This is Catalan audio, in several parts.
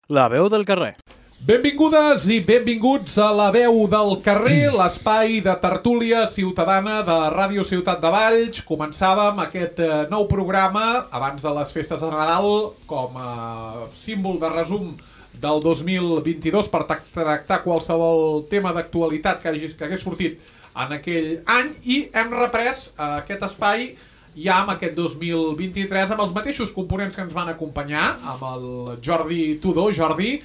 La veu del carrer. Benvingudes i benvinguts a La veu del carrer, l'espai de tertúlia ciutadana de Ràdio Ciutat de Valls. Començàvem aquest nou programa abans de les festes de Nadal com a símbol de resum del 2022 per tractar qualsevol tema d'actualitat que hagués sortit en aquell any, i hem reprès aquest espai ja amb aquest 2023 amb els mateixos components que ens van acompanyar, amb el Jordi Tudó. Jordi,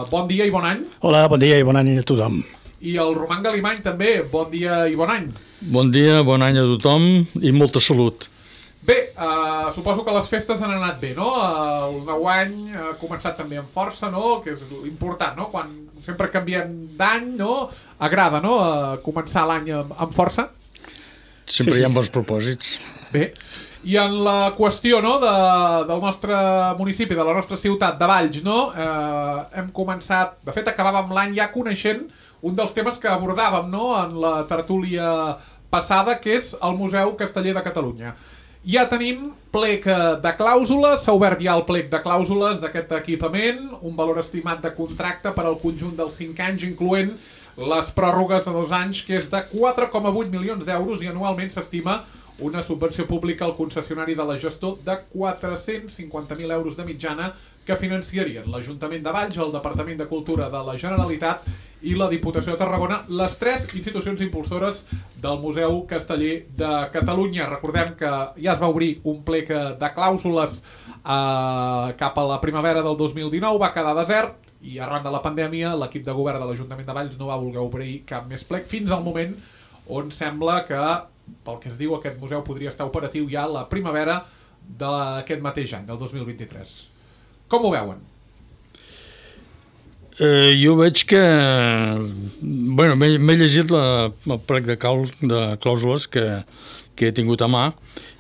bon dia i bon any. Hola, bon dia i bon any a tothom. I el Roman Galimany també, bon dia i bon any. Bon dia, bon any a tothom i molta salut. Bé, suposo que les festes han anat bé, no? El nou any ha començat també amb força, no? Que és important, no? Quan sempre canviem d'any, no? Agrada, no? Començar l'any amb força. Sempre hi ha bons propòsits. Bé, i en la qüestió, no, del nostre municipi, de la nostra ciutat de Valls, no? Hem començat, de fet acabàvem l'any ja coneixent un dels temes que abordàvem, no?, en la tertúlia passada, que és el Museu Casteller de Catalunya. Ja tenim plec de clàusules, s'ha obert ja el plec de clàusules d'aquest equipament, un valor estimat de contracte per al conjunt dels 5 anys, incloent les pròrrogues de 2 anys, que és de 4,8 milions d'euros, i anualment s'estima una subvenció pública al concessionari de la gestor de 450.000 euros de mitjana que financiarien l'Ajuntament de Valls, el Departament de Cultura de la Generalitat i la Diputació de Tarragona, les 3 institucions impulsores del Museu Casteller de Catalunya. Recordem que ja es va obrir un plec de clàusules cap a la primavera del 2019, va quedar desert, i arran de la pandèmia l'equip de govern de l'Ajuntament de Valls no va voler obrir cap més plec, fins al moment on sembla que, pel que es diu, aquest museu podria estar operatiu ja la primavera d'aquest mateix any, del 2023. Com ho veuen? Jo veig que... Bueno, m'he llegit el plec de clàusules que he tingut a mà,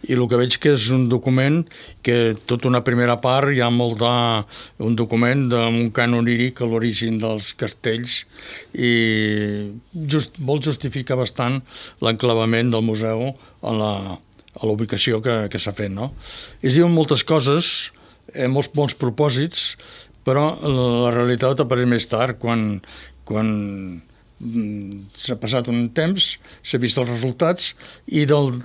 i el que veig que és un document que tota una primera part hi ha molt un document amb un cant oníric a l'origen dels castells, i vol justificar bastant l'enclavament del museu a la ubicació que s'ha fet, no? Es diuen moltes coses, molts bons propòsits, però la realitat apareix més tard, quan s'ha passat un temps, s'ha vist els resultats, i del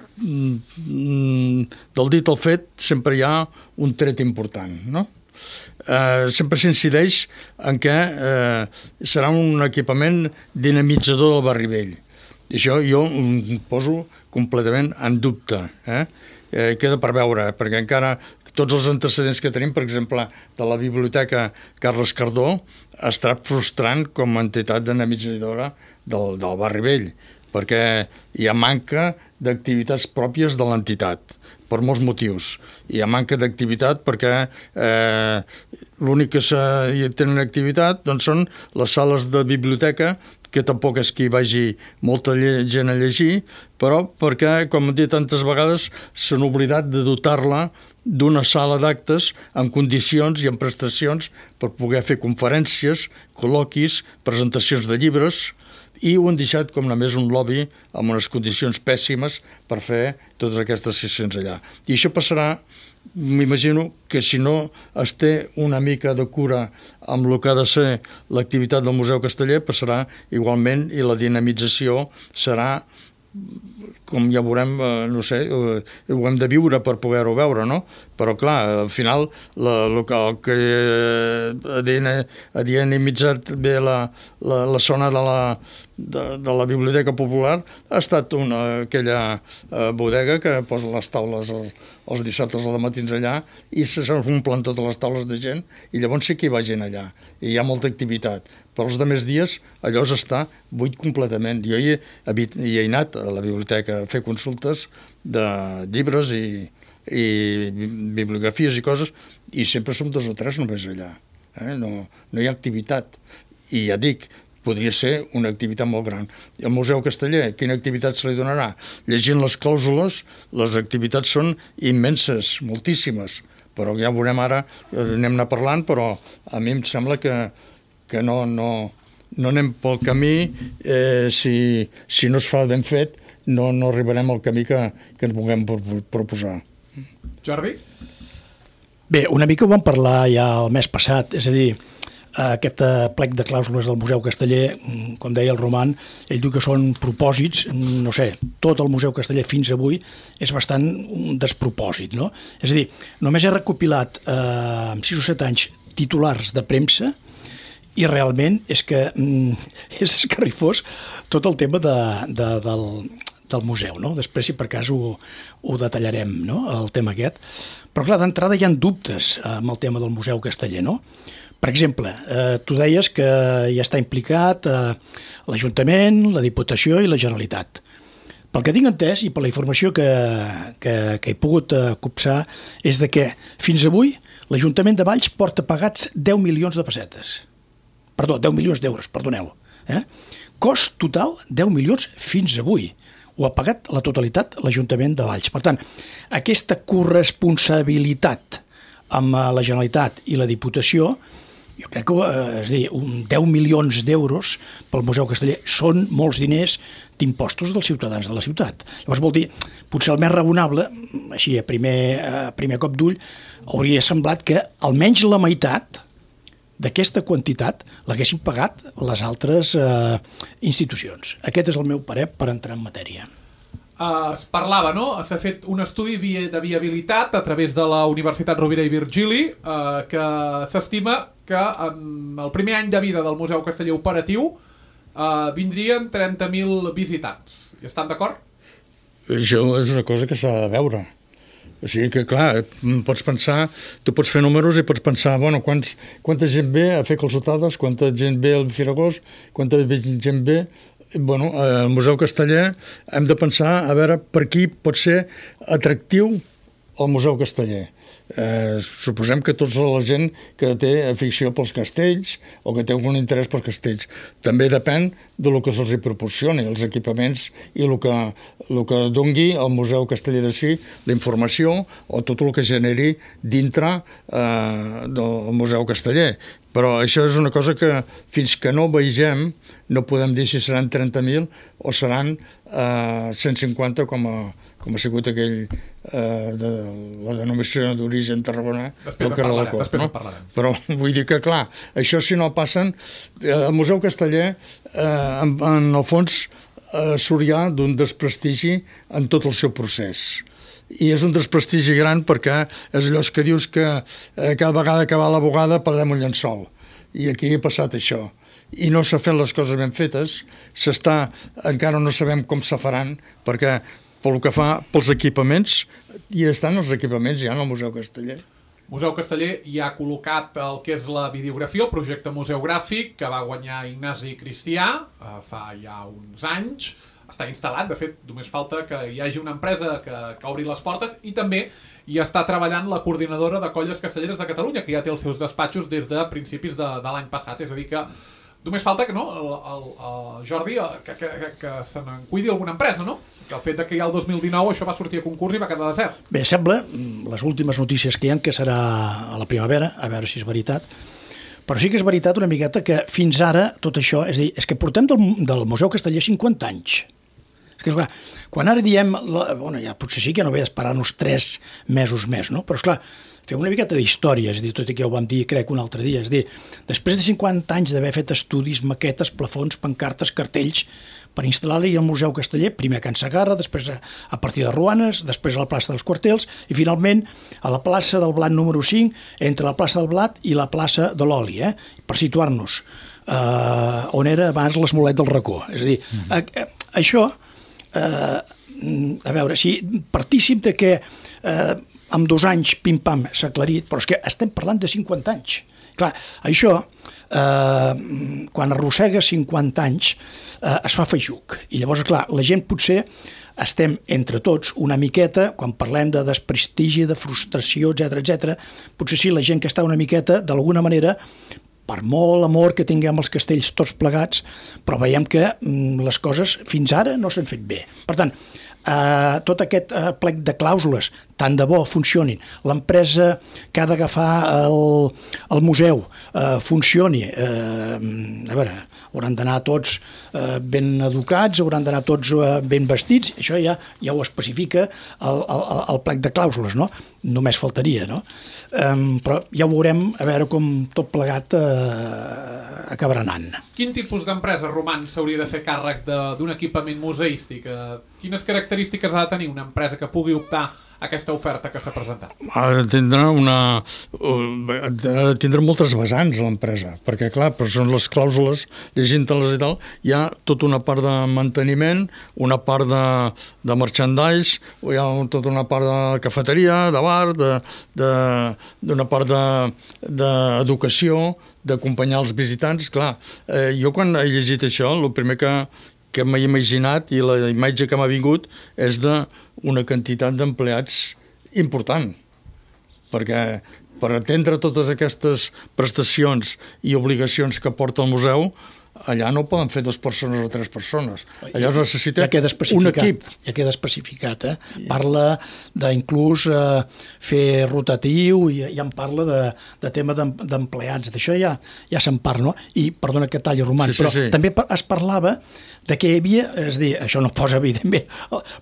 dit al fet sempre hi ha un tret important, no? Sempre s'incideix en que serà un equipament dinamitzador del barri vell. I això jo ho poso completament en dubte. Queda per veure, perquè encara tots els antecedents que tenim, per exemple, de la Biblioteca Carles Cardó, ha estat frustrant com a entitat dinamitzadora del barri vell, perquè hi ha manca d'activitats pròpies de l'entitat, per molts motius. Hi ha manca d'activitat perquè l'únic que tenen activitat doncs són les sales de biblioteca, que tampoc és que hi vagi molta gent a llegir, però perquè, com hem dit tantes vegades, s'han oblidat de dotar-la d'una sala d'actes en condicions i en prestacions per poder fer conferències, col·loquis, presentacions de llibres, i ho han deixat com només un lobby amb unes condicions pèssimes per fer totes aquestes sessions allà. I això passarà, m'imagino, que si no es té una mica de cura amb el que ha de ser l'activitat del Museu Casteller, passarà igualment, i la dinamització serà, com ja veurem, no sé, ho hem de viure per poder-ho veure, no? Però, clar, al final, el que ha dinamitzat bé la zona de la Biblioteca Popular ha estat aquella bodega que posa les taules els dissabtes a la matins allà, i s'omplen totes les taules de gent, i llavors sí que hi va gent allà, i hi ha molta activitat. Però els altres dies allò està buit completament. Jo hi he anat a la biblioteca a fer consultes de llibres i bibliografies i coses, i sempre som 2 o 3 només allà. No hi ha activitat. I ja dic, podria ser una activitat molt gran. El Museu Casteller, quina activitat se li donarà? Llegint les clàusules, les activitats són immenses, moltíssimes, però ja veurem ara, anem parlant, però a mi em sembla que no anem pel camí, si no es fa ben fet, no arribarem al camí que ens vulguem proposar. Jordi? Bé, una mica ho vam parlar ja el mes passat, és a dir, aquest plec de clàusules del Museu Casteller, com deia el Roman, ell diu que són propòsits, no sé, tot el Museu Casteller fins avui és bastant un despropòsit, no? És a dir, només he recopilat en 6 o 7 anys titulars de premsa i realment és que és escarrifós tot el tema del museu, no? Després, si per cas, ho detallarem, no?, el tema aquest. Però, clar, d'entrada hi ha dubtes amb el tema del Museu Casteller, no? Per exemple, tu deies que ja està implicat l'Ajuntament, la Diputació i la Generalitat. Pel que tinc entès i per la informació que he pogut copsar és de que fins avui l'Ajuntament de Valls porta pagats 10 milions de pessetes. Perdó, 10 milions d'euros, perdoneu. Cost total, 10 milions fins avui. Ho ha pagat la totalitat l'Ajuntament de Valls. Per tant, aquesta corresponsabilitat amb la Generalitat i la Diputació, jo crec que, és a dir, 10 milions d'euros pel Museu Casteller són molts diners d'impostos dels ciutadans de la ciutat. Llavors vol dir, potser el més raonable, així a primer cop d'ull, hauria semblat que almenys la meitat d'aquesta quantitat l'haguessin pagat les altres institucions. Aquest és el meu parer per entrar en matèria. Es parlava, no? S'ha fet un estudi de viabilitat a través de la Universitat Rovira i Virgili que s'estima que en el primer any de vida del Museu Casteller operatiu vindrien 30.000 visitants. Hi estan d'acord? Això és una cosa que s'ha de veure. O sigui que, clar, pots pensar, tu pots fer números i pots pensar, bueno, quanta gent ve a fer calçotades, quanta gent ve al Firagós, quanta gent ve... Bueno, al Museu Casteller hem de pensar a veure per qui pot ser atractiu el Museu Casteller. Suposem que tota la gent que té afició pels castells o que té algun interès pels castells. També depèn del que se'ls proporcioni, els equipaments i el que dongui al Museu Casteller de si, la informació o tot el que generi dintre del Museu Casteller. Però això és una cosa que fins que no vegem no podem dir si seran 30.000 o seran 150 com ha sigut aquell de la denominació d'origen Tarragona del carrer de la Cort. Després en parlarem. Però vull dir que, clar, això si no passen... El Museu Casteller, en el fons, surt ja d'un desprestigi en tot el seu procés. I és un desprestigi gran perquè és allò que dius que cada vegada que va la bugada perdem un llençol. I aquí ha passat això. I no s'ha fet les coses ben fetes, encara no sabem com se faran, perquè pel que fa pels equipaments, hi estan els equipaments ja en el Museu Casteller. Museu Casteller ja ha col·locat el que és la videografia, el projecte museogràfic que va guanyar Ignasi Cristià fa ja uns anys. Està instal·lat, de fet, només falta que hi hagi una empresa que obri les portes i també hi està treballant la coordinadora de colles castelleres de Catalunya, que ja té els seus despatxos des de principis de l'any passat. És a dir que només falta que, no, el Jordi, que se n'en cuidi alguna empresa, no? Que el fet que ja el 2019 això va sortir a concurs i va quedar desert. Bé, sembla, les últimes notícies que hi ha, que serà a la primavera, a veure si és veritat, però sí que és veritat una miqueta que fins ara tot això, és a dir, és que portem del Museu Casteller 50 anys. És que, clar, quan ara diem, bueno, ja potser sí que no ve d'esperar-nos 3 mesos més, no? Però, esclar, fem una miqueta d'història, és a dir, tot i que ja ho vam dir, crec, un altre dia, és a dir, després de 50 anys d'haver fet estudis, maquetes, plafons, pancartes, cartells, per instal·lar-hi al Museu Casteller, primer a Can Segarra, després a partir de Ruanes, després a la plaça dels Quartels i finalment a la plaça del Blat número 5, entre la plaça del Blat i la plaça de l'Oli, per situar-nos on era abans l'Esmolet del Racó. És a dir, això, a veure, si partíssim de que amb 2 anys pim-pam s'ha aclarit, però és que estem parlant de 50 anys. Clar, això, quan arrossega 50 anys, es fa feixuc. I llavors, clar, la gent potser estem entre tots una miqueta, quan parlem de desprestigi, de frustració, etc, potser sí, la gent que està una miqueta, d'alguna manera, per molt amor que tinguem els castells tots plegats, però veiem que les coses fins ara no s'han fet bé. Per tant, tot aquest plec de clàusules, tant de bo funcionin, l'empresa que ha d'agafar el museu funcioni, a veure, hauran d'anar tots ben educats, hauran d'anar tots ben vestits, això ja ho especifica el plec de clàusules, no? Només faltaria, no? Però ja ho veurem, a veure com tot plegat acabarà anant. Quin tipus d'empresa, Roman, s'hauria de fer càrrec d'un equipament museístic? Quines característiques ha de tenir una empresa que pugui optar a aquesta oferta que s'ha presentat? Ha de tindre moltes vessants l'empresa, perquè clar, però són les clàusules, llegint-les i tal, hi ha tota una part de manteniment, una part de merchandise, hi ha tota una part de cafeteria, de bar, d'una part d'educació, d'acompanyar els visitants. Clar, jo quan he llegit això, el primer que m'he imaginat i la imatge que m'ha vingut és d'una quantitat d'empleats important, perquè per atendre totes aquestes prestacions i obligacions que porta el museu, allà no poden fer 2 persones o 3 persones. Allà es necessita un equip. Ja queda especificat, Parla d'inclús fer rotatiu, i ja en parla de tema d'empleats. D'això ja se'n parla, no? I, perdona que talli, Roman, però també es parlava de que hi havia, és a dir, això no posa evidentment,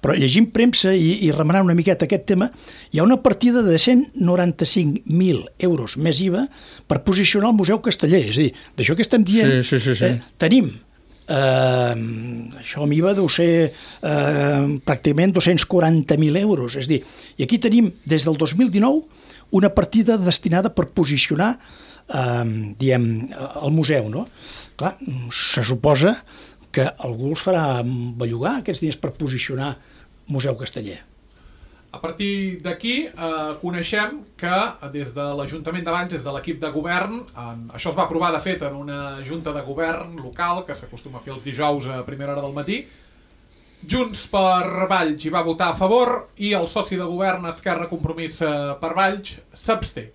però llegint premsa i remenant una miqueta aquest tema, hi ha una partida de 195.000 euros més IVA per posicionar el Museu Casteller. És a dir, d'això que estem dient, tenim això amb IVA deu ser pràcticament 240.000 euros. És a dir, i aquí tenim des del 2019 una partida destinada per posicionar el museu, no? Clar, se suposa que algú els farà bellugar aquests diners per posicionar Museu Casteller. A partir d'aquí coneixem que des de l'Ajuntament de Valls, des de l'equip de govern, això es va aprovar de fet en una junta de govern local que s'acostuma a fer els dijous a primera hora del matí. Junts per Valls hi va votar a favor i el soci de govern Esquerra Compromís per Valls s'absté.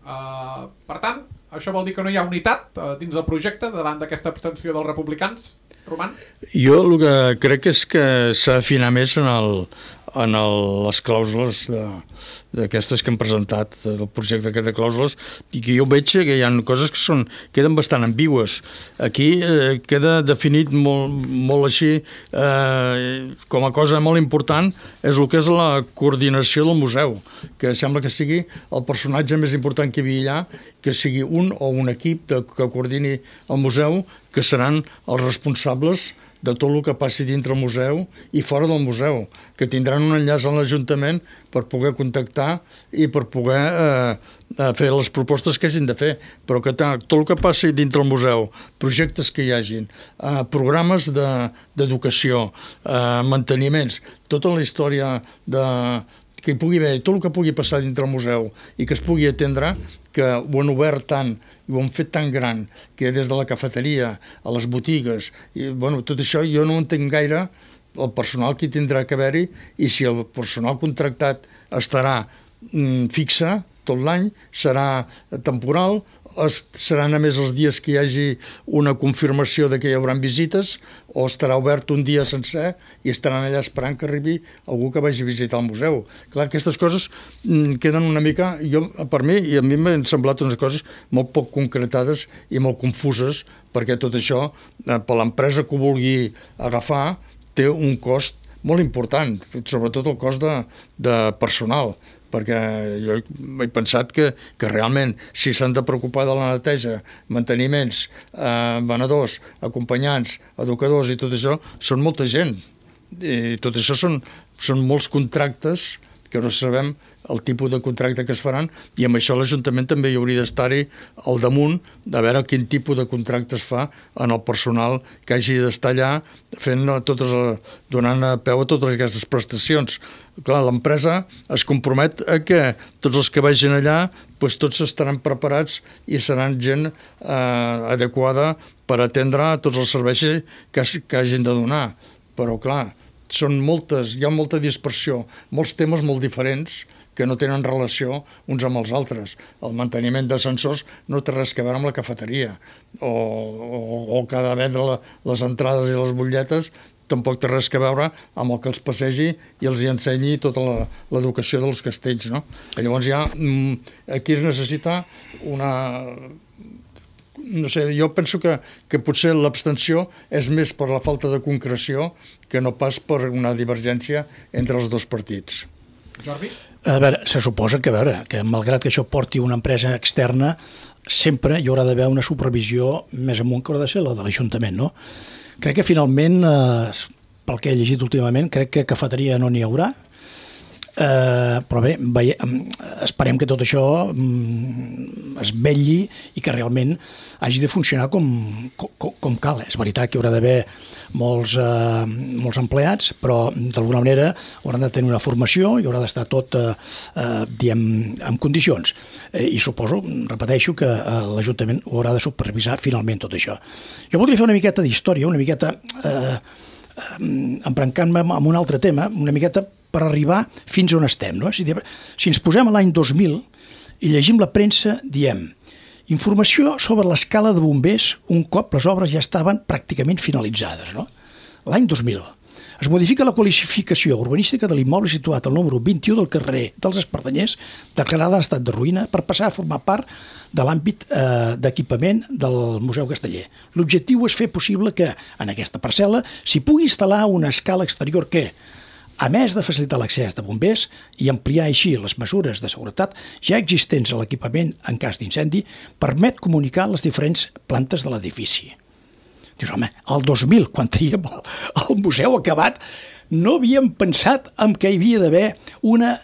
Per tant, això vol dir que no hi ha unitat dins del projecte davant d'aquesta abstenció dels republicans? Roman? Jo el que crec és que s'ha d'afinar més en les clàusules d'aquestes que hem presentat, del projecte de clàusules, i que jo veig que hi ha coses que queden bastant ambigües. Aquí queda definit molt així, com a cosa molt important, és el que és la coordinació del museu, que sembla que sigui el personatge més important que hi havia allà, que sigui un o un equip que coordini el museu, que seran els responsables de tot el que passi dintre el museu i fora del museu, que tindran un enllaç a l'Ajuntament per poder contactar i per poder fer les propostes que hagin de fer, però que tot el que passi dintre el museu, projectes que hi hagin, programes d'educació, manteniments, tota la història que hi pugui haver, tot el que pugui passar dintre el museu i que es pugui atendre, que ho han obert tant i ho han fet tan gran, que des de la cafeteria a les botigues, i, tot això jo no entenc gaire el personal que tindrà que haver-hi i si el personal contractat estarà fixe tot l'any, serà temporal, seran a més els dies que hi hagi una confirmació de que hi haurà visites o estarà obert un dia sencer i estaran allà esperant que arribi algú que vagi a visitar el museu. Clar, aquestes coses queden una mica, per mi, i a mi m'han semblat unes coses molt poc concretades i molt confuses, perquè tot això, per l'empresa que ho vulgui agafar, té un cost molt important, sobretot el cost de personal, perquè jo he pensat que realment si s'han de preocupar de la neteja, manteniments, venedors, acompanyants, educadors i tot això, són molta gent. I tot això són molts contractes que no sabem el tipus de contracte que es faran i amb això l'Ajuntament també hi hauria d'estar-hi al damunt de veure quin tipus de contracte es fa en el personal que hagi d'estar allà donant peu a totes aquestes prestacions. Clar, l'empresa es compromet a que tots els que vagin allà tots estaran preparats i seran gent adequada per atendre tots els serveis que hagin de donar. Però clar, hi ha molta dispersió, molts temes molt diferents que no tenen relació uns amb els altres. El manteniment d'ascensors no té res a veure amb la cafeteria, o que ha de vendre les entrades i les butlletes tampoc té res a veure amb el que els passegi i els hi ensenyi tota l'educació dels castells, no? Llavors aquí es necessita una... No sé, jo penso que potser l'abstenció és més per la falta de concreció que no pas per una divergència entre els dos partits. Jordi? A veure, se suposa que malgrat que això porti una empresa externa, sempre hi haurà d'haver una supervisió més amunt que haurà de ser la de l'Ajuntament, no? Crec que finalment, pel que he llegit últimament, crec que cafeteria no n'hi haurà, però bé, esperem que tot això es vetlli i que realment hagi de funcionar com cal. És veritat que hi haurà d'haver molts empleats, però d'alguna manera hauran de tenir una formació i haurà d'estar tot en condicions. I suposo, repeteixo, que l'Ajuntament ho haurà de supervisar finalment tot això. Jo voldria fer una miqueta d'història, una miqueta embrancant-me amb un altre tema, una miqueta per arribar fins on estem, no? Si ens posem a l'any 2000 i llegim la premsa, diem informació sobre l'escala de bombers un cop les obres ja estaven pràcticament finalitzades, no? L'any 2000 es modifica la qualificació urbanística de l'immoble situat al número 21 del carrer dels Espardenyers, declarada en estat de ruïna, per passar a formar part de l'àmbit d'equipament del Museu Casteller. L'objectiu és fer possible que, en aquesta parcel·la, s'hi pugui instal·lar una escala exterior que, a més de facilitar l'accés de bombers i ampliar així les mesures de seguretat ja existents a l'equipament en cas d'incendi, permet comunicar les diferents plantes de l'edifici. Dius, home, el 2000, quan teníem el museu acabat, no havíem pensat en que hi havia d'haver una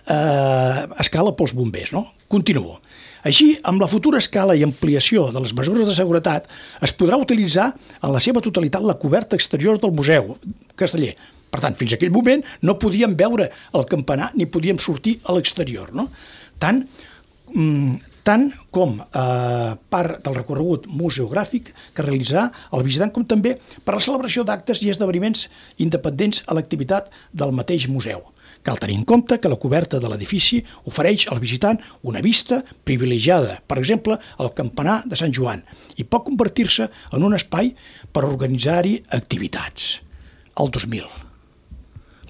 escala pels bombers, no? Continuo. Així, amb la futura escala i ampliació de les mesures de seguretat, es podrà utilitzar en la seva totalitat la coberta exterior del Museu Casteller. Per tant, fins a aquell moment no podíem veure el campanar ni podíem sortir a l'exterior, no? Tant com part del recorregut museogràfic que realitzarà el visitant, com també per la celebració d'actes i esdeveniments independents a l'activitat del mateix museu. Cal tenir en compte que la coberta de l'edifici ofereix al visitant una vista privilegiada, per exemple, al campanar de Sant Joan, i pot convertir-se en un espai per organitzar-hi activitats. El 2000.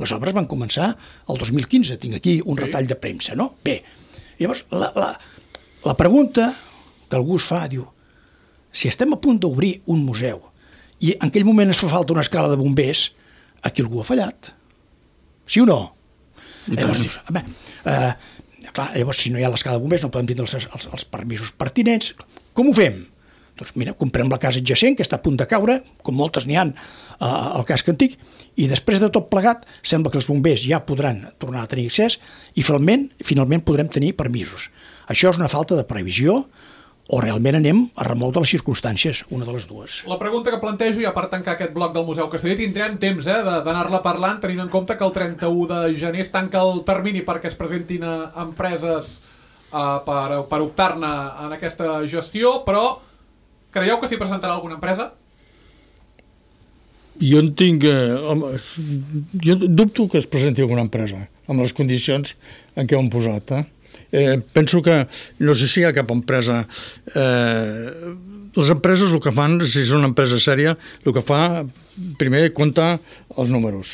Les obres van començar el 2015, tinc aquí un retall de premsa, no? Bé, llavors la pregunta que algú es fa, diu, si estem a punt d'obrir un museu i en aquell moment es fa falta una escala de bombers, aquí algú ha fallat. Sí o no? Llavors dius, clar, llavors si no hi ha l'escala de bombers no podem tindre els permisos pertinents. Com ho fem? Doncs mira, comprem la casa adjacent, que està a punt de caure, com moltes n'hi ha al casc antic, i després de tot plegat sembla que els bombers ja podran tornar a tenir accés i finalment podrem tenir permisos. Això és una falta de previsió o realment anem a remou de les circumstàncies, una de les dues. La pregunta que plantejo, ja per tancar aquest bloc del Museu Casteller, tindrem temps d'anar-la parlant, tenint en compte que el 31 de gener es tanca el termini perquè es presentin empreses per optar-ne en aquesta gestió, però creieu que s'hi presentarà alguna empresa? Jo dubto que es presenti alguna empresa amb les condicions en què ho han posat. Penso que no sé si hi ha cap empresa. Les empreses el que fan, si és una empresa sèria, el que fa primer compta els números.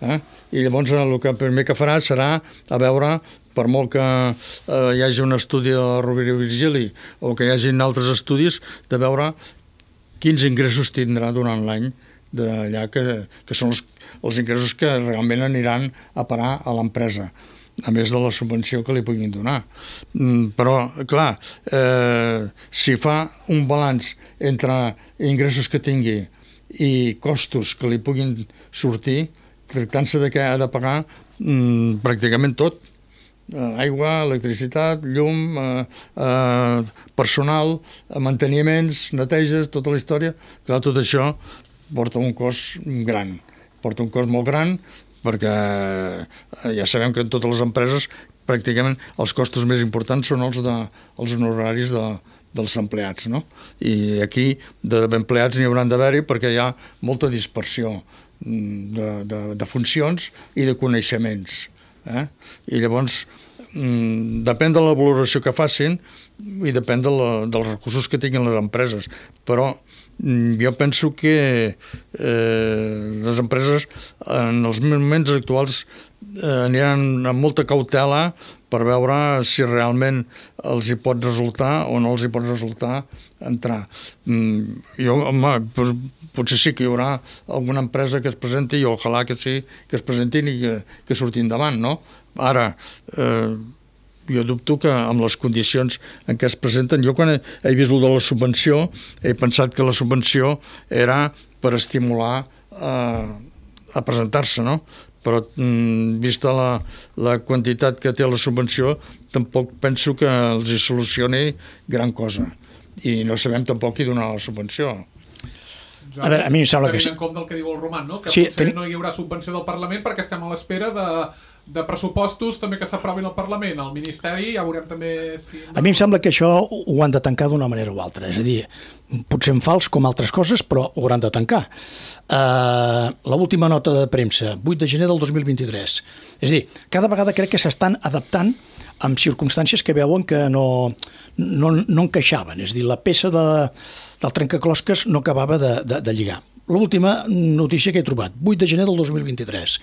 I llavors el que primer que farà serà a veure, per molt que hi hagi un estudi de Rovira i Virgili o que hi hagi altres estudis, de veure quins ingressos tindrà durant l'any d'allà, que són els ingressos que realment aniran a parar a l'empresa, a més de la subvenció que li puguin donar. Però, clar, si fa un balanç entre ingressos que tingui i costos que li puguin sortir, tractant-se de que ha de pagar pràcticament tot, aigua, electricitat, llum, personal, manteniments, neteges, tota la història, clar, tot això porta un cost gran, porta un cost molt gran, perquè ja sabem que en totes les empreses pràcticament els costos més importants són els honoraris dels empleats, no? I aquí d'empleats n'hi hauran d'haver-hi perquè hi ha molta dispersió de funcions i de coneixements. I llavors, depèn de la valoració que facin, i depèn dels recursos que tinguin les empreses, però jo penso que les empreses en els moments actuals aniran amb molta cautela per veure si realment els hi pot resultar o no els hi pot resultar entrar. Potser sí que hi haurà alguna empresa que es presenti i ojalà que sí, que es presentin i que surtin endavant, no? Ara, jo dubto que amb les condicions en què es presenten, jo quan he vist el de la subvenció he pensat que la subvenció era per estimular a presentar-se, no? Però vista la quantitat que té la subvenció tampoc penso que els hi solucioni gran cosa i no sabem tampoc qui donarà la subvenció. A veure, a mi em sembla que tenint en compte el que diu el Roman, no? Que sí, potser no hi haurà subvenció del Parlament perquè estem a l'espera de pressupostos també que s'aprovin al Parlament. Al Ministeri ja veurem també si... A mi em sembla que això ho han de tancar d'una manera o altra, és a dir, potser en fals com altres coses, però ho hauran de tancar. L'última nota de premsa, 8 de gener del 2023. És a dir, cada vegada crec que s'estan adaptant amb circumstàncies que veuen que no encaixaven. És a dir, la peça del trencaclosques no acabava de lligar. L'última notícia que he trobat, 8 de gener del 2023.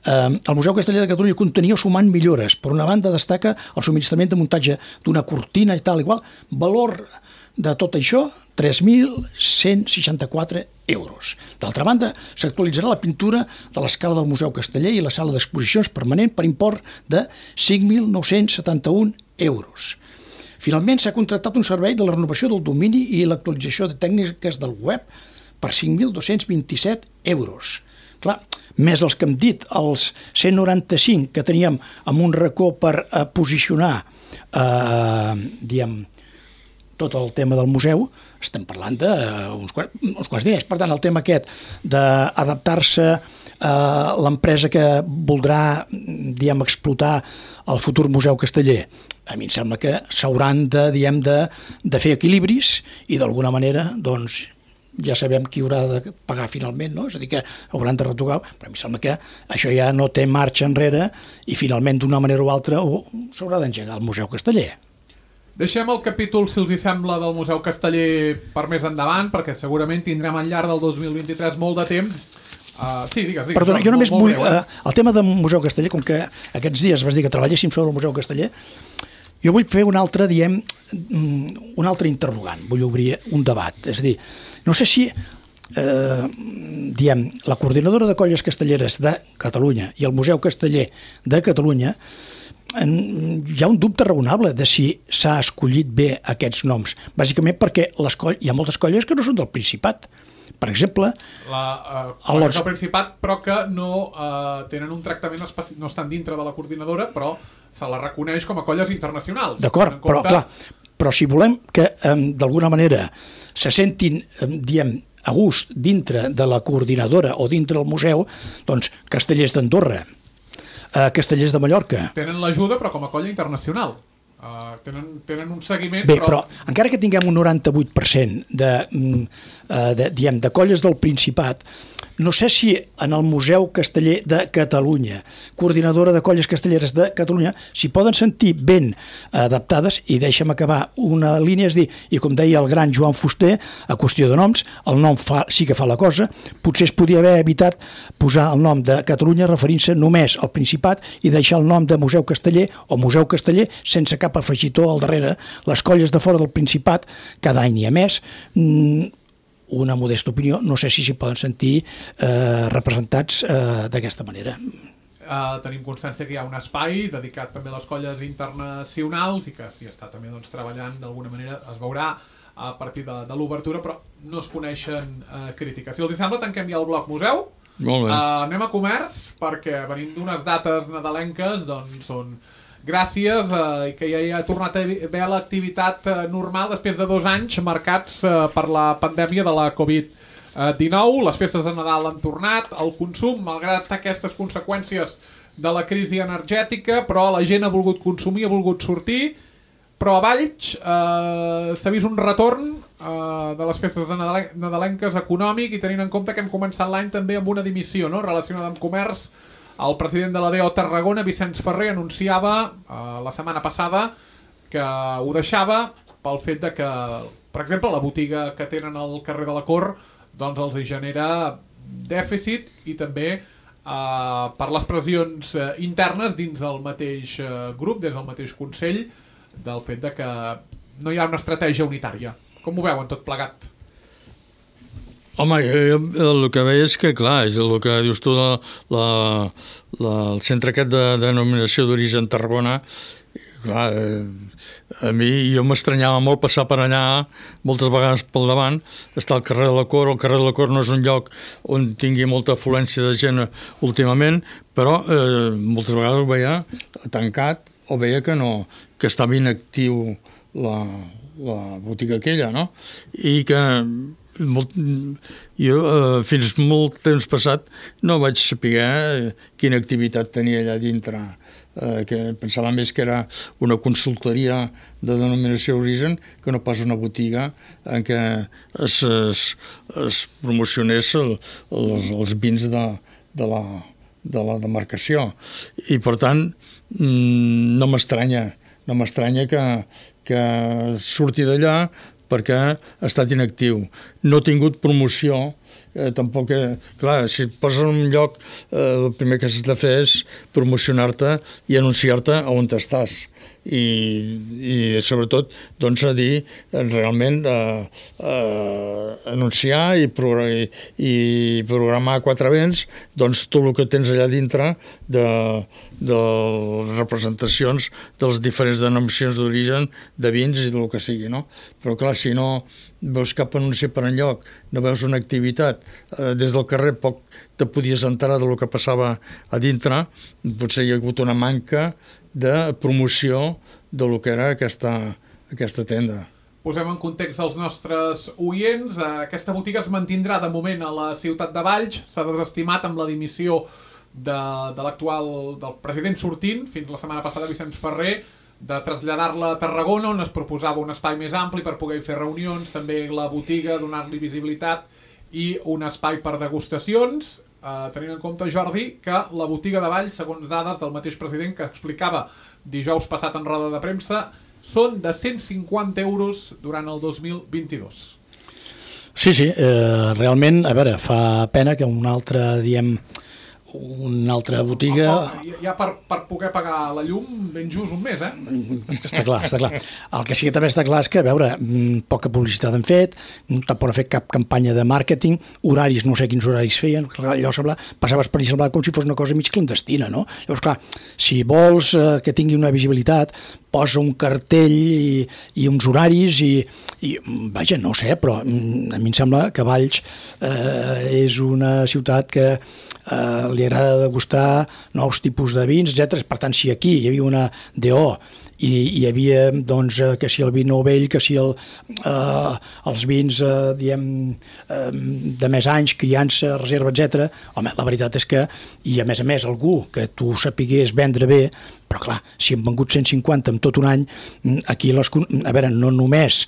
El Museu Casteller de Catalunya contenia sumant millores. Per una banda destaca el subministrament de muntatge d'una cortina i tal, igual. Valor de tot això, 3.164 euros. D'altra banda, s'actualitzarà la pintura de l'escala del Museu Casteller i la sala d'exposicions permanent per import de 5.971 euros. Finalment, s'ha contractat un servei de la renovació del domini i l'actualització de tècniques del web per 5.227 euros. Clar, més els que hem dit, els 195 que teníem amb un racó per posicionar tot el tema del museu, estem parlant d'uns quants diners. Per tant, el tema aquest d'adaptar-se a l'empresa que voldrà explotar el futur Museu Casteller, a mi em sembla que s'hauran de fer equilibris i d'alguna manera, doncs, ja sabem qui haurà de pagar finalment, no? És a dir, que hauran de retocar, però a mi sembla que això ja no té marxa enrere i finalment d'una manera o altra s'haurà d'engegar el Museu Casteller. Deixem el capítol, si els hi sembla, del Museu Casteller per més endavant, perquè segurament tindrem al llarg del 2023 molt de temps. Sí, digues. Perdona, jo només vull... El tema del Museu Casteller, com que aquests dies vas dir que treballéssim sobre el Museu Casteller, jo vull fer un altre interrogant, vull obrir un debat. És a dir, no sé si la Coordinadora de Colles Castelleres de Catalunya i el Museu Casteller de Catalunya hi ha un dubte raonable de si s'ha escollit bé aquests noms, bàsicament perquè hi ha moltes colles que no són del Principat. Per exemple... Colles del Principat, però que no tenen un tractament específic, no estan dintre de la coordinadora, però se la reconeix com a colles internacionals. D'acord, però si volem que d'alguna manera se sentin, a gust dintre de la coordinadora o dintre del museu, doncs Castellers d'Andorra, Castellers de Mallorca... Tenen l'ajuda, però com a colla internacional. Tenen un seguiment... Bé, però encara que tinguem un 98% de colles del Principat, no sé si en el Museu Casteller de Catalunya, Coordinadora de Colles Castelleres de Catalunya, s'hi poden sentir ben adaptades, i deixa'm acabar una línia, és dir, i com deia el gran Joan Fuster, a qüestió de noms, el nom sí que fa la cosa, potser es podia haver evitat posar el nom de Catalunya referint-se només al Principat i deixar el nom de Museu Casteller o Museu Casteller sense cap afegitó al darrere. Les colles de fora del Principat, cada any n'hi ha més, una modesta opinió, no sé si s'hi poden sentir representats d'aquesta manera. Tenim constància que hi ha un espai dedicat també a les colles internacionals i que s'hi està també treballant d'alguna manera, es veurà a partir de l'obertura, però no es coneixen crítiques. Si els sembla, tanquem ja el bloc museu. Molt bé. Anem a comerç, perquè venim d'unes dates nadalenques, doncs són gràcies i que ja hi ha tornat a haver l'activitat normal després de 2 anys marcats per la pandèmia de la Covid-19. Les festes de Nadal han tornat, el consum, malgrat aquestes conseqüències de la crisi energètica, però la gent ha volgut consumir, ha volgut sortir, però a Valls s'ha vist un retorn de les festes de nadalenques econòmic, i tenint en compte que hem començat l'any també amb una dimissió relacionada amb comerç. El president de la DO Tarragona, Vicenç Ferrer, anunciava la setmana passada que ho deixava pel fet de que, per exemple, la botiga que tenen al carrer de la Cor doncs els hi genera dèficit i també per les pressions internes dins el mateix grup, des del mateix Consell, del fet de que no hi ha una estratègia unitària. Com ho veuen tot plegat? Home, el que veig és que, clar, és el que dius tu, el centre aquest de denominació d'origen Tarragona, clar, a mi jo m'estranyava molt passar per allà moltes vegades pel davant, està al carrer de la Cor. El carrer de la Cor no és un lloc on tingui molta afluència de gent últimament, però moltes vegades ho veia tancat o veia que estava inactiu la botiga aquella, no? I que jo fins molt temps passat no vaig saber quina activitat tenia allà dintre, que pensava més que era una consultoria de denominació d'origen que no pas una botiga en què es promocionés els vins de la demarcació. I per tant no m'estranya que surti d'allà perquè ha estat inactiu. No ha tingut promoció, tampoc... Clar, si et poses en un lloc, el primer que has de fer és promocionar-te i anunciar-te on estàs. I sobretot, doncs, a dir, realment, anunciar i programar a quatre vents, doncs, tot el que tens allà dintre de representacions de les diferents denominacions d'origen, de vins i del que sigui, no? Però, clar, si no veus cap anunci per enlloc, no veus una activitat, des del carrer poc te podies enterar del que passava a dintre, potser hi ha hagut una manca de promoció del que era aquesta tenda. Posem en context els nostres oients. Aquesta botiga es mantindrà de moment a la ciutat de Valls. S'ha desestimat amb la dimissió del president sortint, fins la setmana passada, Vicenç Ferrer, de traslladar-la a Tarragona, on es proposava un espai més ampli per poder fer reunions, també la botiga, donar-li visibilitat i un espai per degustacions, tenint en compte, Jordi, que la botiga de Valls, segons dades del mateix president que explicava dijous passat en roda de premsa, són de 150 euros durant el 2022. Sí, realment, a veure, fa pena que una altra botiga... Ja per poder pagar la llum ben just un mes, Està clar. El que sí que també està clar és que, a veure, poca publicitat han fet, tampoc ha fet cap campanya de màrqueting, horaris, no sé quins horaris feien, allò passaves per allà, semblava com si fos una cosa mig clandestina, no? Llavors, clar, si vols que tingui una visibilitat, posa un cartell i uns horaris i vaja, no ho sé, però a mi em sembla que Valls és una ciutat que li agrada degustar nous tipus de vins, etc. Per tant, si aquí hi havia una DO i hi havia, doncs, que si el vi nou vell, que si els vins, diguem, de més anys, criança, reserva, etc. Home, la veritat és que, i a més algú que tu sapigués vendre bé, però clar, si han vengut 150 en tot un any, aquí, a veure, no només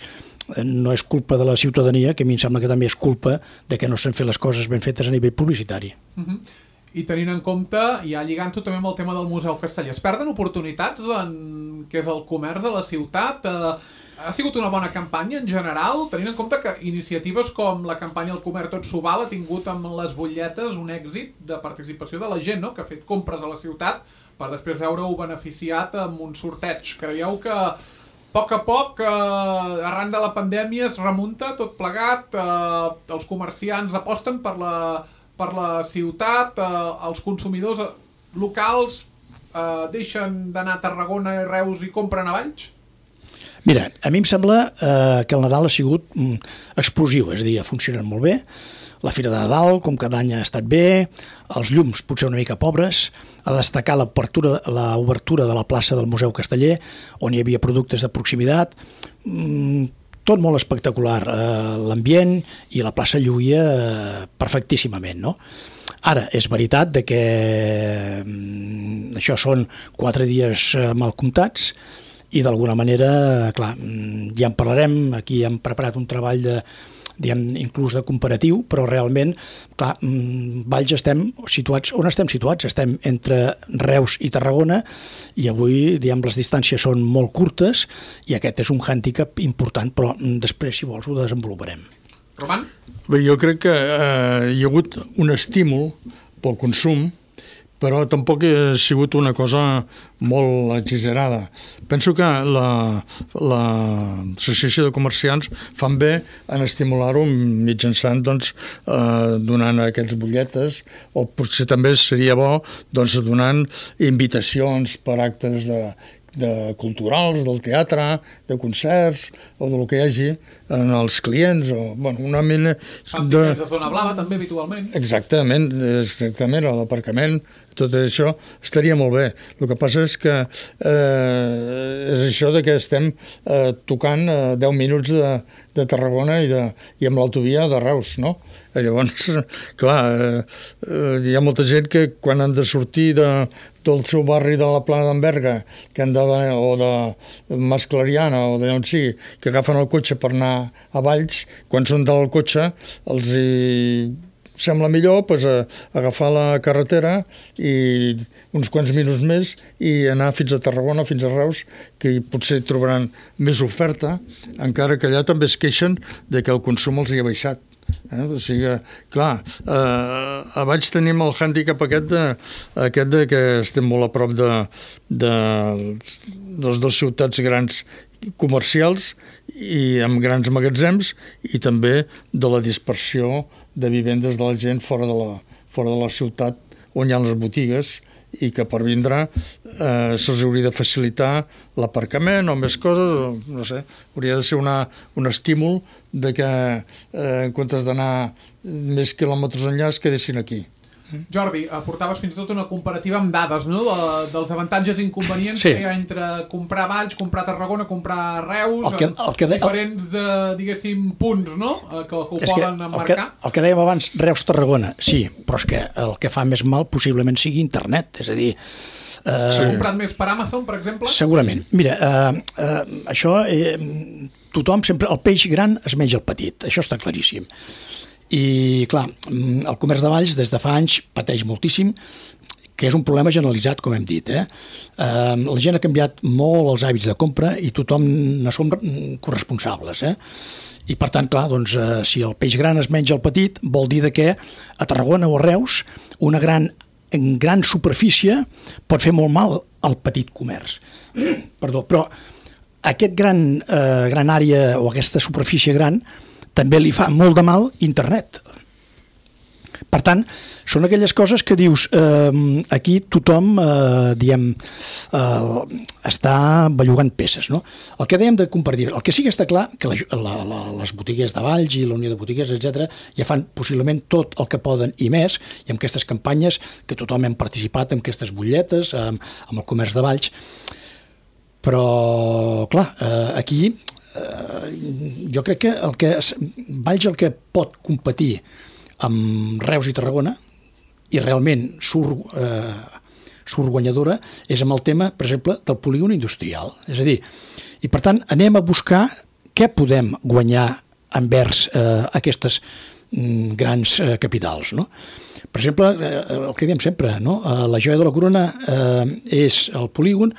no és culpa de la ciutadania, que a mi em sembla que també és culpa de que no s'han fet les coses ben fetes a nivell publicitari. I tenint en compte, ja lligant-ho també amb el tema del Museu Casteller, es perden oportunitats en què és el comerç a la ciutat? Ha sigut una bona campanya en general, tenint en compte que iniciatives com la campanya El Comerç Tot s'ho val ha tingut amb les butlletes un èxit de participació de la gent, no?, que ha fet compres a la ciutat per després veure-ho beneficiat amb un sorteig. Creieu que a poc, arran de la pandèmia es remunta tot plegat, els comerciants aposten per la ciutat, els consumidors locals deixen d'anar a Tarragona i Reus i compren a Valls? Mira, a mi em sembla que el Nadal ha sigut explosiu, és a dir, ha funcionat molt bé. La Fira de Nadal, com cada any, ha estat bé, els llums potser una mica pobres, a destacar l'obertura de la plaça del Museu Casteller, on hi havia productes de proximitat, tot molt espectacular, l'ambient i la plaça lluïa perfectíssimament, no? Ara, és veritat que això són 4 dies mal comptats i d'alguna manera, clar, ja en parlarem, aquí hem preparat un treball inclús de comparatiu, però realment, clar, Valls estem situats, on estem situats? Estem entre Reus i Tarragona i avui, les distàncies són molt curtes i aquest és un hàndicap important, però després, si vols, ho desenvoluparem. Roman? Bé, jo crec que hi ha hagut un estímul pel consum, però tampoc ha sigut una cosa molt exagerada. Penso que l'Associació de Comerciants fan bé en estimular-ho mitjançant donant aquestes butlletes, o potser també seria bo donant invitacions per actes culturals, del teatre, de concerts, o del que hi hagi als clients, o una mena fan tiquets de zona blava també habitualment. Exactament, l'aparcament, tot això estaria molt bé. El que passa és que és això de que estem tocant 10 minuts de Tarragona i amb l'autovia de Reus, no? Llavors, clar, hi ha molta gent que quan han de sortir del seu barri de la Plana d'Enverga, o de Mas Clariana, o d'allà on sigui, que agafen el cotxe per anar a Valls, quan són del cotxe els sembla millor agafar la carretera i uns quants minuts més i anar fins a Tarragona, fins a Reus, que potser trobaran més oferta, encara que allà també es queixen de que el consum els hi ha baixat. O sigui, clar, a Valls tenim el hàndicap aquest de que estem molt a prop de les dues ciutats grans comercials i amb grans magatzems i també de la dispersió de vivendes de la gent fora de la ciutat on hi ha les botigues i que per vindre se'ls hauria de facilitar l'aparcament o més coses, no sé, hauria de ser un estímul de que en comptes d'anar més quilòmetres enllà es quedessin aquí. Jordi, aportaves fins i tot una comparativa amb dades, no? Dels avantatges i inconvenients que hi ha entre comprar Valls, comprar Tarragona, comprar Reus, diferents, diguéssim, punts, no? Que ho poden emmarcar. El que dèiem abans, Reus-Tarragona, sí, però és que el que fa més mal possiblement sigui internet, és a dir... S'ha comprat més per Amazon, per exemple? Segurament. Mira, això, tothom sempre, el peix gran es menja el petit, això està claríssim. I, clar, el comerç de Valls des de fa anys pateix moltíssim, que és un problema generalitzat, com hem dit. La gent ha canviat molt els hàbits de compra i tothom ne som corresponsables. I, per tant, clar, doncs, si el peix gran es menja el petit, vol dir que a Tarragona o a Reus una gran superfície pot fer molt mal al petit comerç. Perdó, però aquest gran àrea o aquesta superfície gran també li fa molt de mal internet. Per tant, són aquelles coses que dius, aquí tothom, està bellugant peces, no? El que dèiem de compartir, el que sí que està clar, que les botigues de Valls i la Unió de Botigues, etc., ja fan possiblement tot el que poden i més, i amb aquestes campanyes que tothom hem participat, amb aquestes butlletes, amb el comerç de Valls. Però, clar, aquí... jo crec que Valls el que pot competir amb Reus i Tarragona i realment surt guanyadora és amb el tema, per exemple, del polígon industrial. És a dir, i per tant anem a buscar què podem guanyar envers aquestes grans capitals, no? Per exemple, el que diem sempre, no? La joia de la corona és el polígon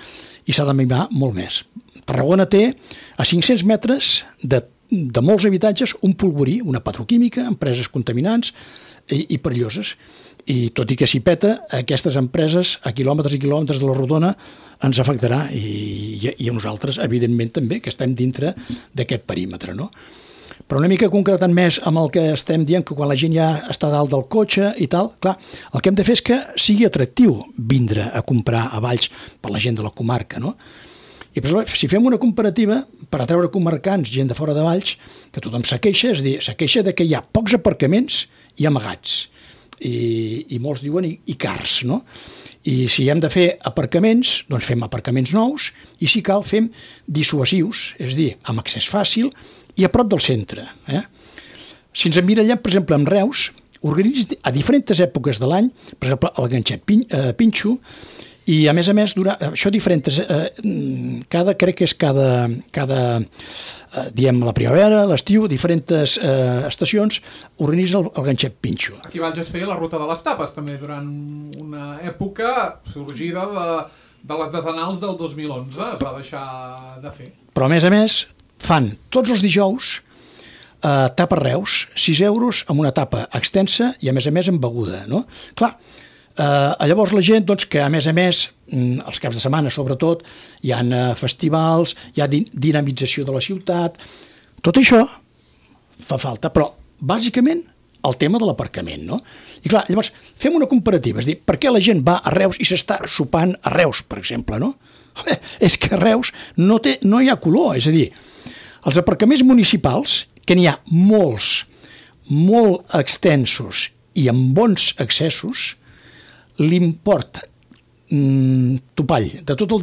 i s'ha de mimar molt més. Tarragona té a 500 metres de molts habitatges un polvorí, una petroquímica, empreses contaminants i perilloses. I tot i que s'hi peta, aquestes empreses a quilòmetres i quilòmetres de la rodona ens afectarà i a nosaltres, evidentment, també, que estem dintre d'aquest perímetre, no? Però una mica concretant més amb el que estem dient, que quan la gent ja està dalt del cotxe i tal, clar, el que hem de fer és que sigui atractiu vindre a comprar a Valls per la gent de la comarca, no? I per exemple, si fem una comparativa per atreure comarcants, gent de fora de Valls, que tothom se queixa, és a dir, se queixa de que hi ha pocs aparcaments i amagats, i molts diuen i cars, no? I si hem de fer aparcaments, doncs fem aparcaments nous, i si cal fem dissuasius, és a dir, amb accés fàcil i a prop del centre. Si ens emmirallem, per exemple, amb Reus, organitzen a diferents èpoques de l'any, per exemple, el ganxet Pinxo, I a més, això diferents, crec que és cada diem la primavera, l'estiu, diferents estacions, organitza el ganxet pinxo. Aquí a Valls es feia la ruta de les tapes, també, durant una època sorgida de les desenals del 2011, es va deixar de fer. Però a més, fan tots els dijous tapa Reus, 6 euros amb una tapa extensa i a més amb beguda, no? Clar, llavors la gent, doncs, que a més, els caps de setmana sobretot, hi ha festivals, hi ha dinamització de la ciutat, tot això fa falta, però bàsicament el tema de l'aparcament, no? I clar, llavors fem una comparativa, és a dir, per què la gent va a Reus i s'està sopant a Reus, per exemple, no? És que a Reus no hi ha color, és a dir, els aparcaments municipals, que n'hi ha molts, molt extensos i amb bons accessos, l'import topall de tot el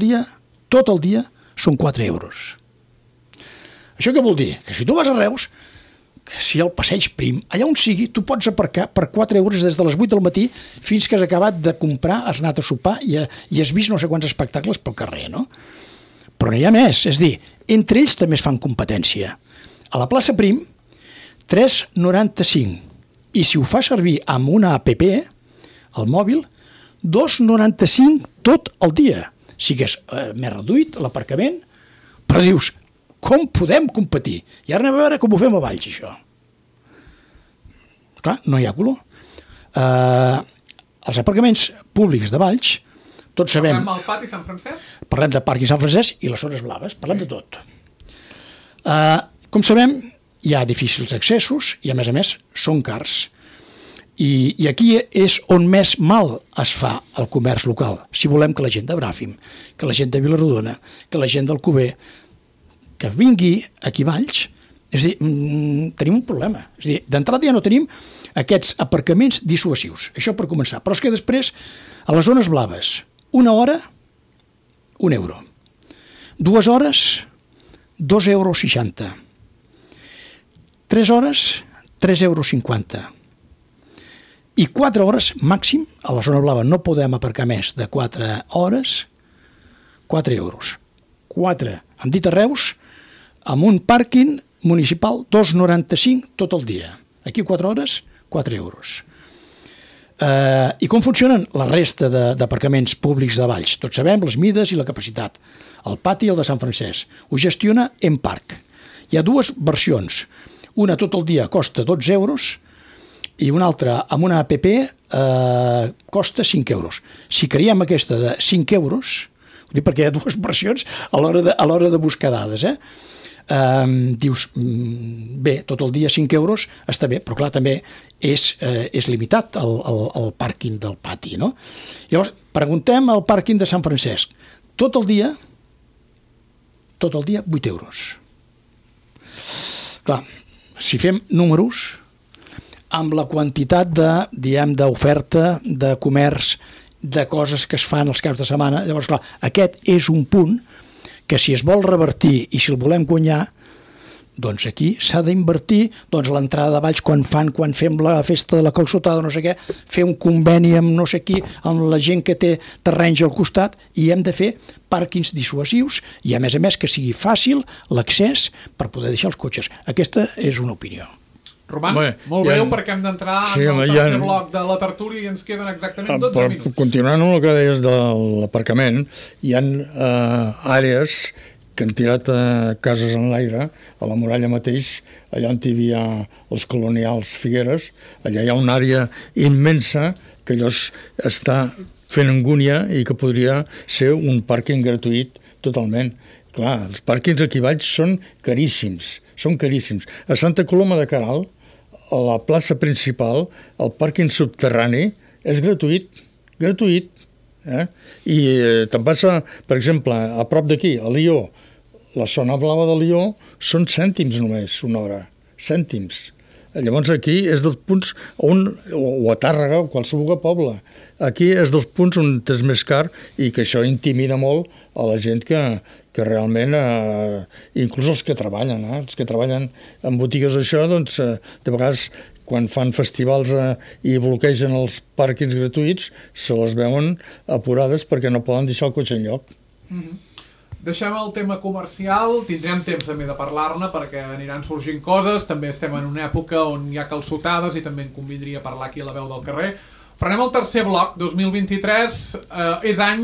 dia són 4 euros. Això què vol dir? Que si tu vas a Reus, si al Passeig Prim, allà on sigui, tu pots aparcar per 4 euros des de les 8 del matí fins que has acabat de comprar, has anat a sopar i has vist no sé quants espectacles pel carrer, no? Però no hi ha més, és a dir, entre ells també es fan competència. A la plaça Prim, 3,95. I si ho fa servir amb una app, al mòbil, 2,95 tot el dia. Sí que és més reduït l'aparcament, però dius, com podem competir? I ara anem a veure com ho fem a Valls, això. Clar, no hi ha color. Els aparcaments públics de Valls, tots sabem... Parlem del pati Sant Francesc? Parlem de Parc i Sant Francesc i les zones blaves, parlem de tot. Com sabem, hi ha difícils accessos i, a més, són cars. I aquí és on més mal es fa el comerç local. Si volem que la gent de Bràfim, que la gent de Vilarodona, que la gent d'Alcover, que vingui aquí a Valls, és a dir, tenim un problema. És a dir, d'entrada ja no tenim aquests aparcaments dissuasius. Això per començar. Però és que després, a les zones blaves, 1 hora, 1 euro. 2 hores, 2,60 euros. 3 hores, 3,50 euros. I 4 hores màxim, a la zona blava no podem aparcar més de 4 hores, 4 euros. 4, hem dit a Reus, amb un pàrquing municipal 2,95 tot el dia. Aquí 4 hores, 4 euros. I com funcionen la resta d'aparcaments públics de Valls? Tots sabem les mides i la capacitat. El pati i el de Sant Francesc. Ho gestiona Emparc. Hi ha dues versions. Una tot el dia costa 12 euros i una altra amb una app costa 5 euros. Si creiem aquesta de 5 euros, ho dic perquè hi ha dues versions a l'hora de buscar dades, dius, bé, tot el dia 5 euros està bé, però clar, també és limitat el pàrquing del pati, no? Llavors, preguntem al pàrquing de Sant Francesc, tot el dia 8 euros. Clar, si fem números, amb la quantitat d'oferta, de comerç, de coses que es fan els caps de setmana, llavors, clar, aquest és un punt que si es vol revertir i si el volem guanyar, doncs aquí s'ha d'invertir, doncs a l'entrada de Valls quan fem la festa de la calçotada, no sé què, fer un conveni amb no sé qui, amb la gent que té terrenys al costat, i hem de fer pàrquings dissuasius i a més que sigui fàcil l'accés per poder deixar els cotxes. Aquesta és una opinió. Roman, molt breu perquè hem d'entrar en el tercer bloc de la tertúlia i ens queden exactament 12 minuts. Continuant amb el que deies de l'aparcament, hi ha àrees que han tirat cases en l'aire, a la muralla mateix, allà on hi havia els colonials Figueres, allà hi ha una àrea immensa que allò està fent angúnia i que podria ser un pàrquing gratuït totalment. Clar, els pàrquings aquí a Valls són caríssims. A Santa Coloma de Queralt, a la plaça principal, el pàrquing subterrani és gratuït. I te'n passa, per exemple, a prop d'aquí, a Lió, la zona blava de Lió són cèntims només, una hora. Cèntims. Llavors aquí és dels punts on, o a Tàrrega o qualsevol poble, aquí és dels punts on és més car i que això intimida molt a la gent que realment, inclús els que treballen en botigues això, doncs de vegades quan fan festivals i bloquegen els pàrquings gratuïts, se les veuen apurades perquè no poden deixar el cotxe enlloc. Deixem el tema comercial, tindrem temps també de parlar-ne perquè aniran sorgint coses, també estem en una època on hi ha calçotades i també en convindria parlar aquí a la veu del carrer. Però anem al tercer bloc, 2023, és any,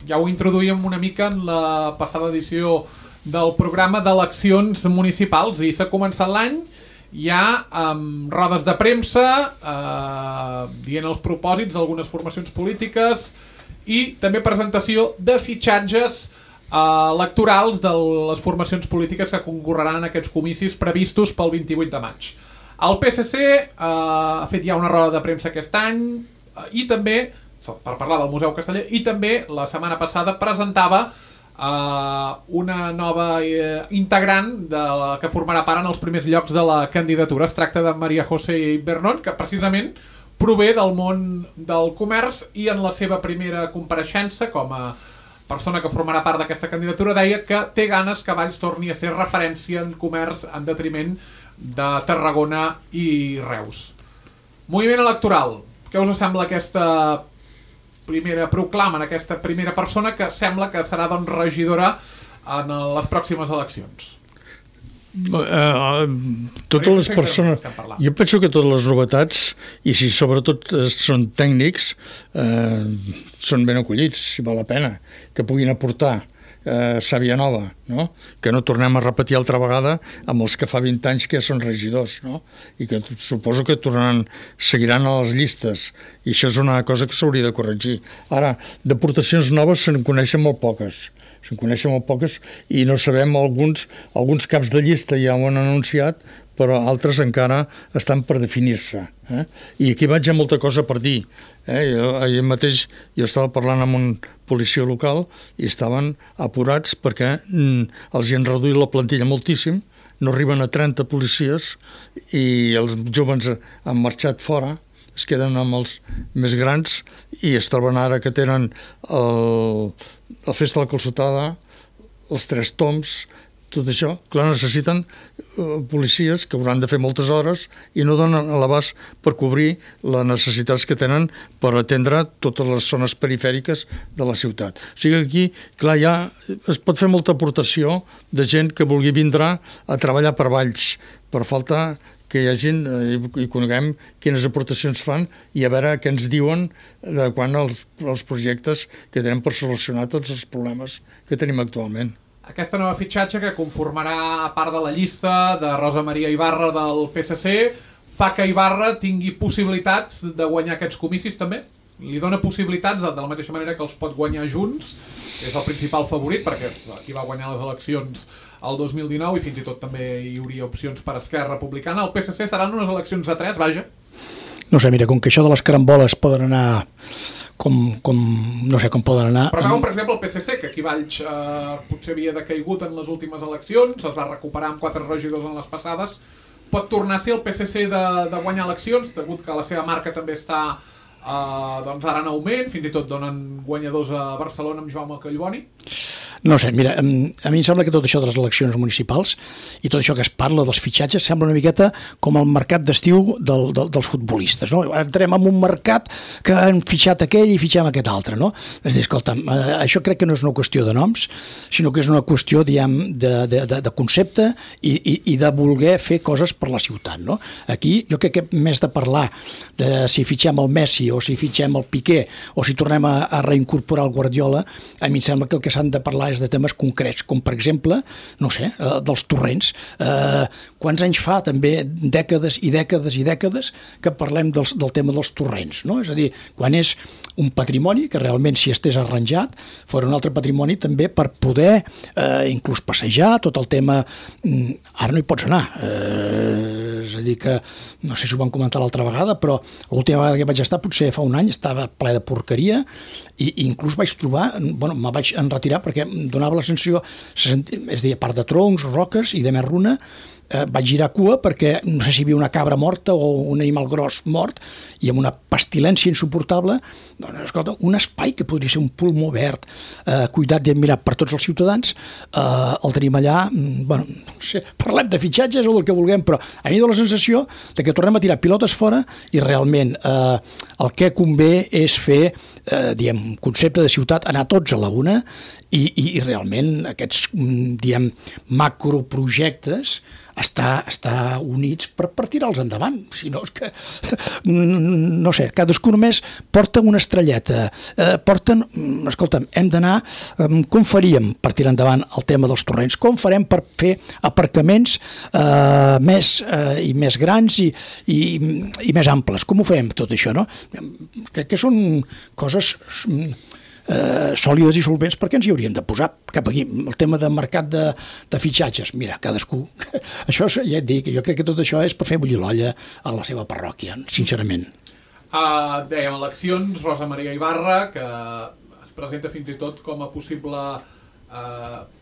ja ho introduïm una mica en la passada edició del programa d'eleccions municipals i s'ha començat l'any ja amb rodes de premsa, dient els propòsits d'algunes formacions polítiques i també presentació de fitxatges electorals de les formacions polítiques que concorreran en aquests comicis previstos pel 28 de maig. El PSC ha fet ja una roda de premsa aquest any i també, per parlar del Museu Casteller, i també la setmana passada presentava una nova integrant que formarà part en els primers llocs de la candidatura. Es tracta de Maria José Bernón, que precisament prové del món del comerç i en la seva primera compareixença com a persona que formarà part d'aquesta candidatura deia que té ganes que Valls torni a ser referència en comerç en detriment de Tarragona i Reus. Moviment electoral. Què us sembla aquesta primera proclama, aquesta primera persona que sembla que serà doncs regidora en les pròximes eleccions? Totes les persones, jo penso que totes les novetats, i si sobretot són tècnics, són ben acollits, si val la pena, que puguin aportar sàvia nova, no? Que no tornem a repetir altra vegada amb els que fa 20 anys que ja són regidors, no? I que suposo que seguiran a les llistes, i això és una cosa que s'hauria de corregir. Ara, d'aportacions noves se'n coneixen molt poques, i no sabem, alguns caps de llista ja ho han anunciat, però altres encara estan per definir-se. I aquí vaig a molta cosa per dir. Ahir mateix jo estava parlant amb un policia local i estaven apurats perquè els hi han reduït la plantilla moltíssim, no arriben a 30 policies i els joves han marxat fora, es queden amb els més grans i es troben ara que tenen la festa de la calçotada, els 3 toms, tot això. Clar, necessiten policies que hauran de fer moltes hores i no donen a l'abast per cobrir les necessitats que tenen per atendre totes les zones perifèriques de la ciutat. O sigui, aquí, clar, ja es pot fer molta aportació de gent que vulgui vindre a treballar per Valls, per falta que hi hagin i coneguem quines aportacions fan i a veure què ens diuen de quan els projectes que tenen per solucionar tots els problemes que tenim actualment. Aquesta nova fitxatge que conformarà part de la llista de Rosa Maria Ibarra del PSC fa que Ibarra tingui possibilitats de guanyar aquests comicis també? Li dona possibilitats de la mateixa manera que els pot guanyar Junts, que és el principal favorit perquè és qui va guanyar les eleccions el 2019 i fins i tot també hi hauria opcions per Esquerra Republicana. El PSC seran unes eleccions de 3, vaja. No sé, mira, com que això de les caramboles poden anar no sé com poden anar. Però veuen, per exemple, el PSC, que aquí Valls potser havia decaigut en les últimes eleccions, es va recuperar amb 4 regidors en les passades, pot tornar a ser el PSC de guanyar eleccions, degut que la seva marca també està doncs ara en augment, fins i tot donen guanyadors a Barcelona amb Jaume Collboni. No sé, mira, a mi em sembla que tot això de les eleccions municipals i tot això que es parla dels fitxatges sembla una miqueta com el mercat d'estiu dels futbolistes, no? Entrem en un mercat que han fitxat aquell i fitxem aquest altre, no? És a dir, escolta'm, això crec que no és una qüestió de noms, sinó que és una qüestió, diguem, de concepte i de voler fer coses per la ciutat, no? Aquí jo crec que més de parlar de si fitxem el Messi o si fitxem el Piqué o si tornem a reincorporar el Guardiola, a mi em sembla que el que s'han de parlar és de temes concrets, com per exemple, no sé, dels torrents. Quants anys fa també, dècades i dècades i dècades, que parlem del tema dels torrents, no? És a dir, quan és un patrimoni que realment si estés arranjat fos un altre patrimoni també per poder inclús passejar tot el tema. Ara no hi pots anar, és a dir que no sé si ho vam comentar l'altra vegada, però l'última vegada que vaig estar potser fa un any estava ple de porqueria i inclús vaig trobar, bueno, me vaig enretirar perquè em donava la sensació, és a dir, a part de troncs, roques i de més runa, vaig girar cua perquè no sé si hi havia una cabra morta o un animal gros mort, i amb una pestilència insuportable, doncs, escolta, un espai que podria ser un pulmó verd, cuidat i admirat per tots els ciutadans, el tenim allà, bueno, no sé, parlem de fitxatges o del que vulguem, però a mi dona la sensació de que tornem a tirar pilotes fora i realment el que convé és fer, diguem, concepte de ciutat, anar tots a la una i realment aquests, diguem, macroprojectes estar units per tirar-los endavant. Si no, és que, no sé, cadascú només porta una estrelleta, escolta'm, hem d'anar, com faríem per tirar endavant el tema dels torrents? Com farem per fer aparcaments més grans i més amples? Com ho fem, tot això, no? Crec que són coses sòlides i solvents, perquè ens hi hauríem de posar cap aquí. El tema de mercat de fitxatges, mira, cadascú, això ja et dic, jo crec que tot això és per fer bullir l'olla a la seva parròquia, sincerament. Dèiem eleccions, Rosa Maria Ibarra, que es presenta fins i tot com a possible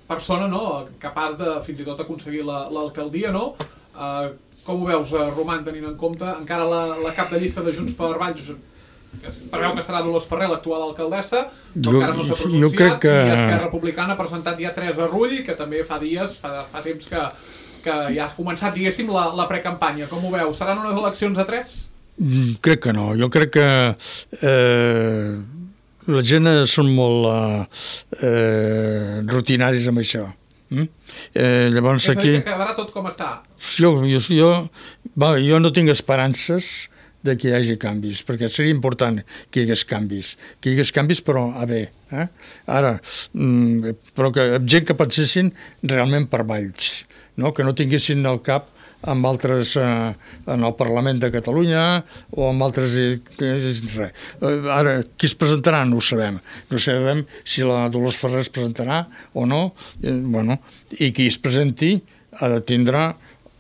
persona, no?, capaç de fins i tot aconseguir l'alcaldia, no? Com ho veus, Roman, tenint en compte encara la cap de llista de Junts per Valls, que es preveu que serà Dolors Ferrer, l'actual alcaldessa, però encara no s'ha pronunciat, i Esquerra Republicana ha presentat ja Teresa Rull, que també fa temps que ja ha començat, diguéssim, la precampanya. Com ho veu? Seran unes eleccions a 3? Crec que no. Jo crec que la gent són molt rutinaris amb això. Llavors és a dir, aquí... que quedarà tot com està? Jo no tinc esperances de que hi hagi canvis, perquè seria important que hi hagués canvis, però a bé. Ara, però gent que pensessin realment per Valls, no? Que no tinguessin el cap amb altres en el Parlament de Catalunya o amb altres... Ara, qui es presentarà no ho sabem. No sabem si la Dolors Ferrer es presentarà o no. Bueno, i qui es presenti ha de tindre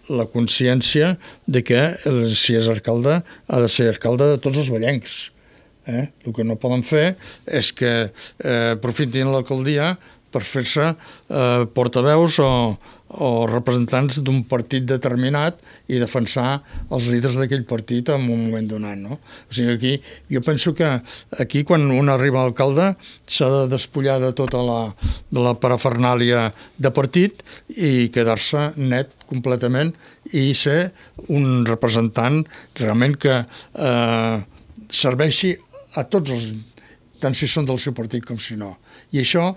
la consciència de que si és alcalde ha de ser alcalde de tots els vallencs. El que no poden fer és que aprofitin l'alcaldia per fer-se portaveus o representants d'un partit determinat i defensar els líders d'aquell partit en un moment donat, no? O sigui, jo penso que aquí, quan un arriba a alcalde, s'ha de despullar de tota la parafernàlia de partit i quedar-se net completament i ser un representant realment que serveixi a tots els, tant si són del seu partit com si no. I això,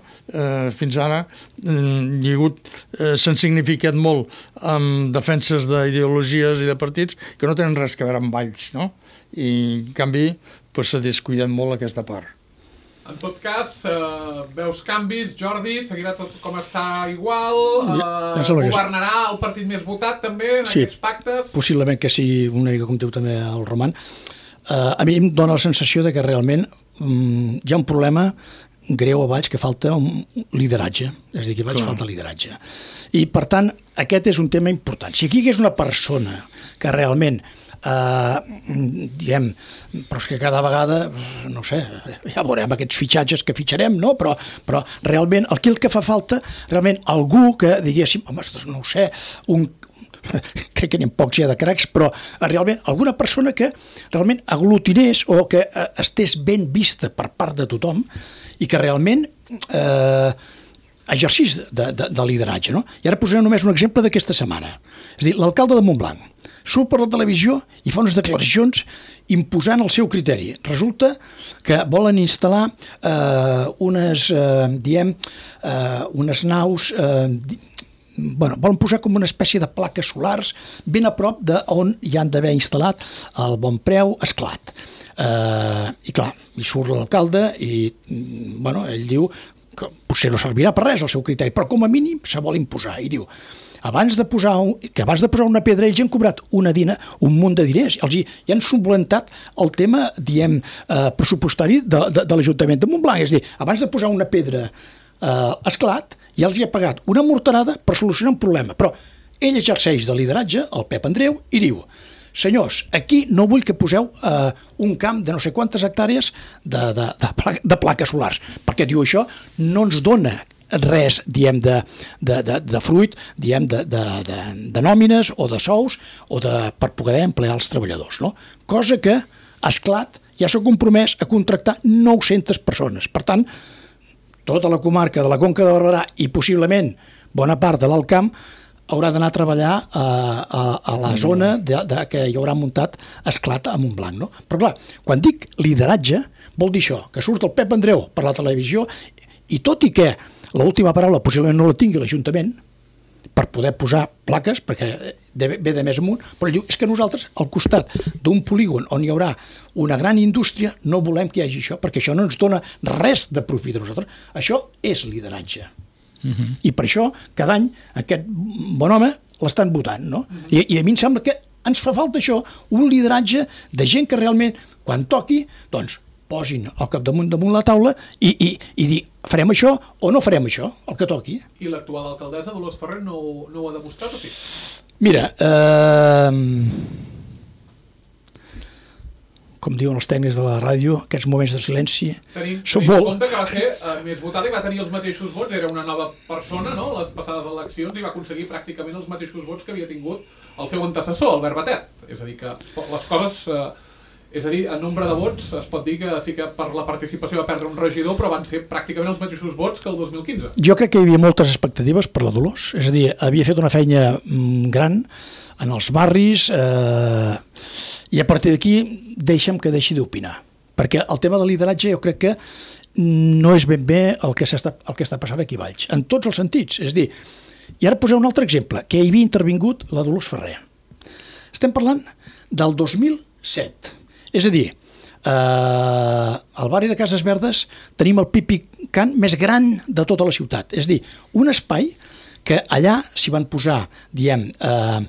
fins ara, s'han significat molt amb defenses d'ideologies i de partits que no tenen res a veure amb Valls, no? I, en canvi, s'ha descuidat molt aquesta part. En tot cas, veus canvis, Jordi? Seguirà tot com està igual? Governarà el partit més votat, també, en aquests pactes? Possiblement que sí, una mica com diu també el Roman. A mi em dóna la sensació de que realment hi ha un problema greu a Valls, que falta un lideratge, és a dir, que a Valls falta lideratge. I, per tant, aquest és un tema important. Si aquí hi hagués una persona que realment, diguem, però és que cada vegada, no sé, ja veurem aquests fitxatges que fitxarem, no? Però realment, el que fa falta, realment, algú que diguéssim, home, no ho sé, crec que n'hi ha pocs ja de cracs, però realment alguna persona que realment aglutinés o que estés ben vista per part de tothom i que realment exercís de lideratge, no? I ara posaré només un exemple d'aquesta setmana. És a dir, l'alcalde de Montblanc surt per la televisió i fa unes declaracions imposant el seu criteri. Resulta que volen instal·lar unes naus... volen posar com una espècie de plaques solars ben a prop d'on hi han d'haver instal·lat el Bon Preu Esclat. I clar, hi surt l'alcalde i ell diu que potser no servirà per res el seu criteri, però com a mínim se vol imposar. I diu, abans de posar una pedra ells han cobrat un munt de diners, i han subventat el tema, pressupostari de l'Ajuntament de Montblanc. És a dir, abans de posar una pedra Esclat, ja els hi ha pagat una morterada per solucionar un problema, però ell exerceix de lideratge, el Pep Andreu, i diu, senyors, aquí no vull que poseu un camp de no sé quantes hectàrees de plaques solars, perquè diu això no ens dona res, diem, de fruit, diem, de nòmines o de sous o per poder emplear els treballadors, no? Cosa que Esclat ja s'ha compromès a contractar 900 persones. Per tant, tota la comarca de la Conca de Barberà i possiblement bona part de l'Alt Camp haurà d'anar a treballar a la zona que hi haurà muntat Esclat a Montblanc, no? Però clar, quan dic lideratge, vol dir això, que surt el Pep Andreu per la televisió i tot i que l'última paraula possiblement no la tingui l'Ajuntament per poder posar plaques, perquè ve de més amunt, però diu, és que nosaltres al costat d'un polígon on hi haurà una gran indústria no volem que hi hagi això, perquè això no ens dona res de profit a nosaltres. Això és lideratge. I per això cada any aquest bon home l'estan votant, no? I a mi em sembla que ens fa falta això, un lideratge de gent que realment quan toqui doncs posin el capdamunt damunt la taula i dir farem això o no farem això, el que toqui. I l'actual alcaldessa Dolors Ferrer no ho ha demostrat o sí? Mira, com diuen els tècnics de la ràdio, aquests moments de silenci tenim són en molt... compte que va ser més votada i va tenir els mateixos vots, era una nova persona, no?, les passades eleccions, i va aconseguir pràcticament els mateixos vots que havia tingut el seu antecessor, Albert Batet. És a dir, que les coses... és a dir, en nombre de vots es pot dir que sí que per la participació va perdre un regidor, però van ser pràcticament els mateixos vots que el 2015. Jo crec que hi havia moltes expectatives per la Dolors, és a dir, havia fet una feina gran en els barris i a partir d'aquí deixa'm que deixi d'opinar, perquè el tema del lideratge jo crec que no és ben bé el que està passant aquí a Valls, en tots els sentits. És a dir, i ara posaré un altre exemple, que hi havia intervingut la Dolors Ferrer. Estem parlant del 2007. És a dir, al barri de Cases Verdes tenim el Pipicant més gran de tota la ciutat. És a dir, un espai que allà s'hi van posar, la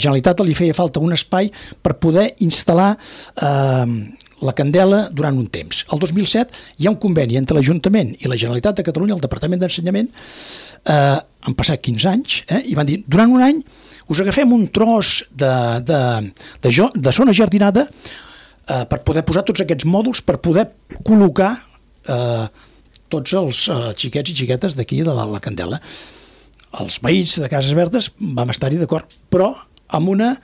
Generalitat li feia falta un espai per poder instal·lar la candela durant un temps. El 2007 hi ha un conveni entre l'Ajuntament i la Generalitat de Catalunya, el Departament d'Ensenyament, han passat 15 anys, i van dir, durant un any us agafem un tros de zona jardinada per poder posar tots aquests mòduls, per poder col·locar tots els xiquets i xiquetes d'aquí de la Candela. Els veïns de Cases Verdes vam estar-hi d'acord, però amb una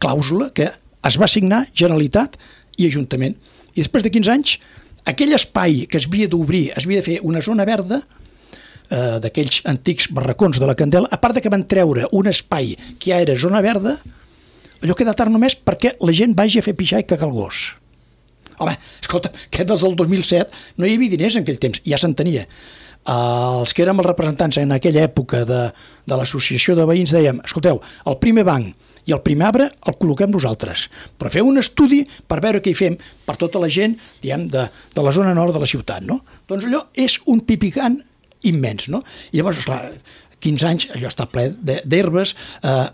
clàusula que es va signar Generalitat i Ajuntament. I després de 15 anys, aquell espai que es havia d'obrir, es havia de fer una zona verda, d'aquells antics barracons de la Candela, a part de que van treure un espai que ja era zona verda, allò queda tard només perquè la gent vagi a fer pixar i cagar el gos. Home, escolta, que des del 2007 no hi havia diners en aquell temps, ja se'n tenia. Els que érem els representants en aquella època de l'associació de veïns dèiem, escolteu, el primer banc i el primer arbre el col·loquem nosaltres, però feu un estudi per veure què hi fem per tota la gent, diguem, de la zona nord de la ciutat, no? Doncs allò és un pipicant immens, no? I llavors, esclar, 15 anys, allò està ple d'herbes,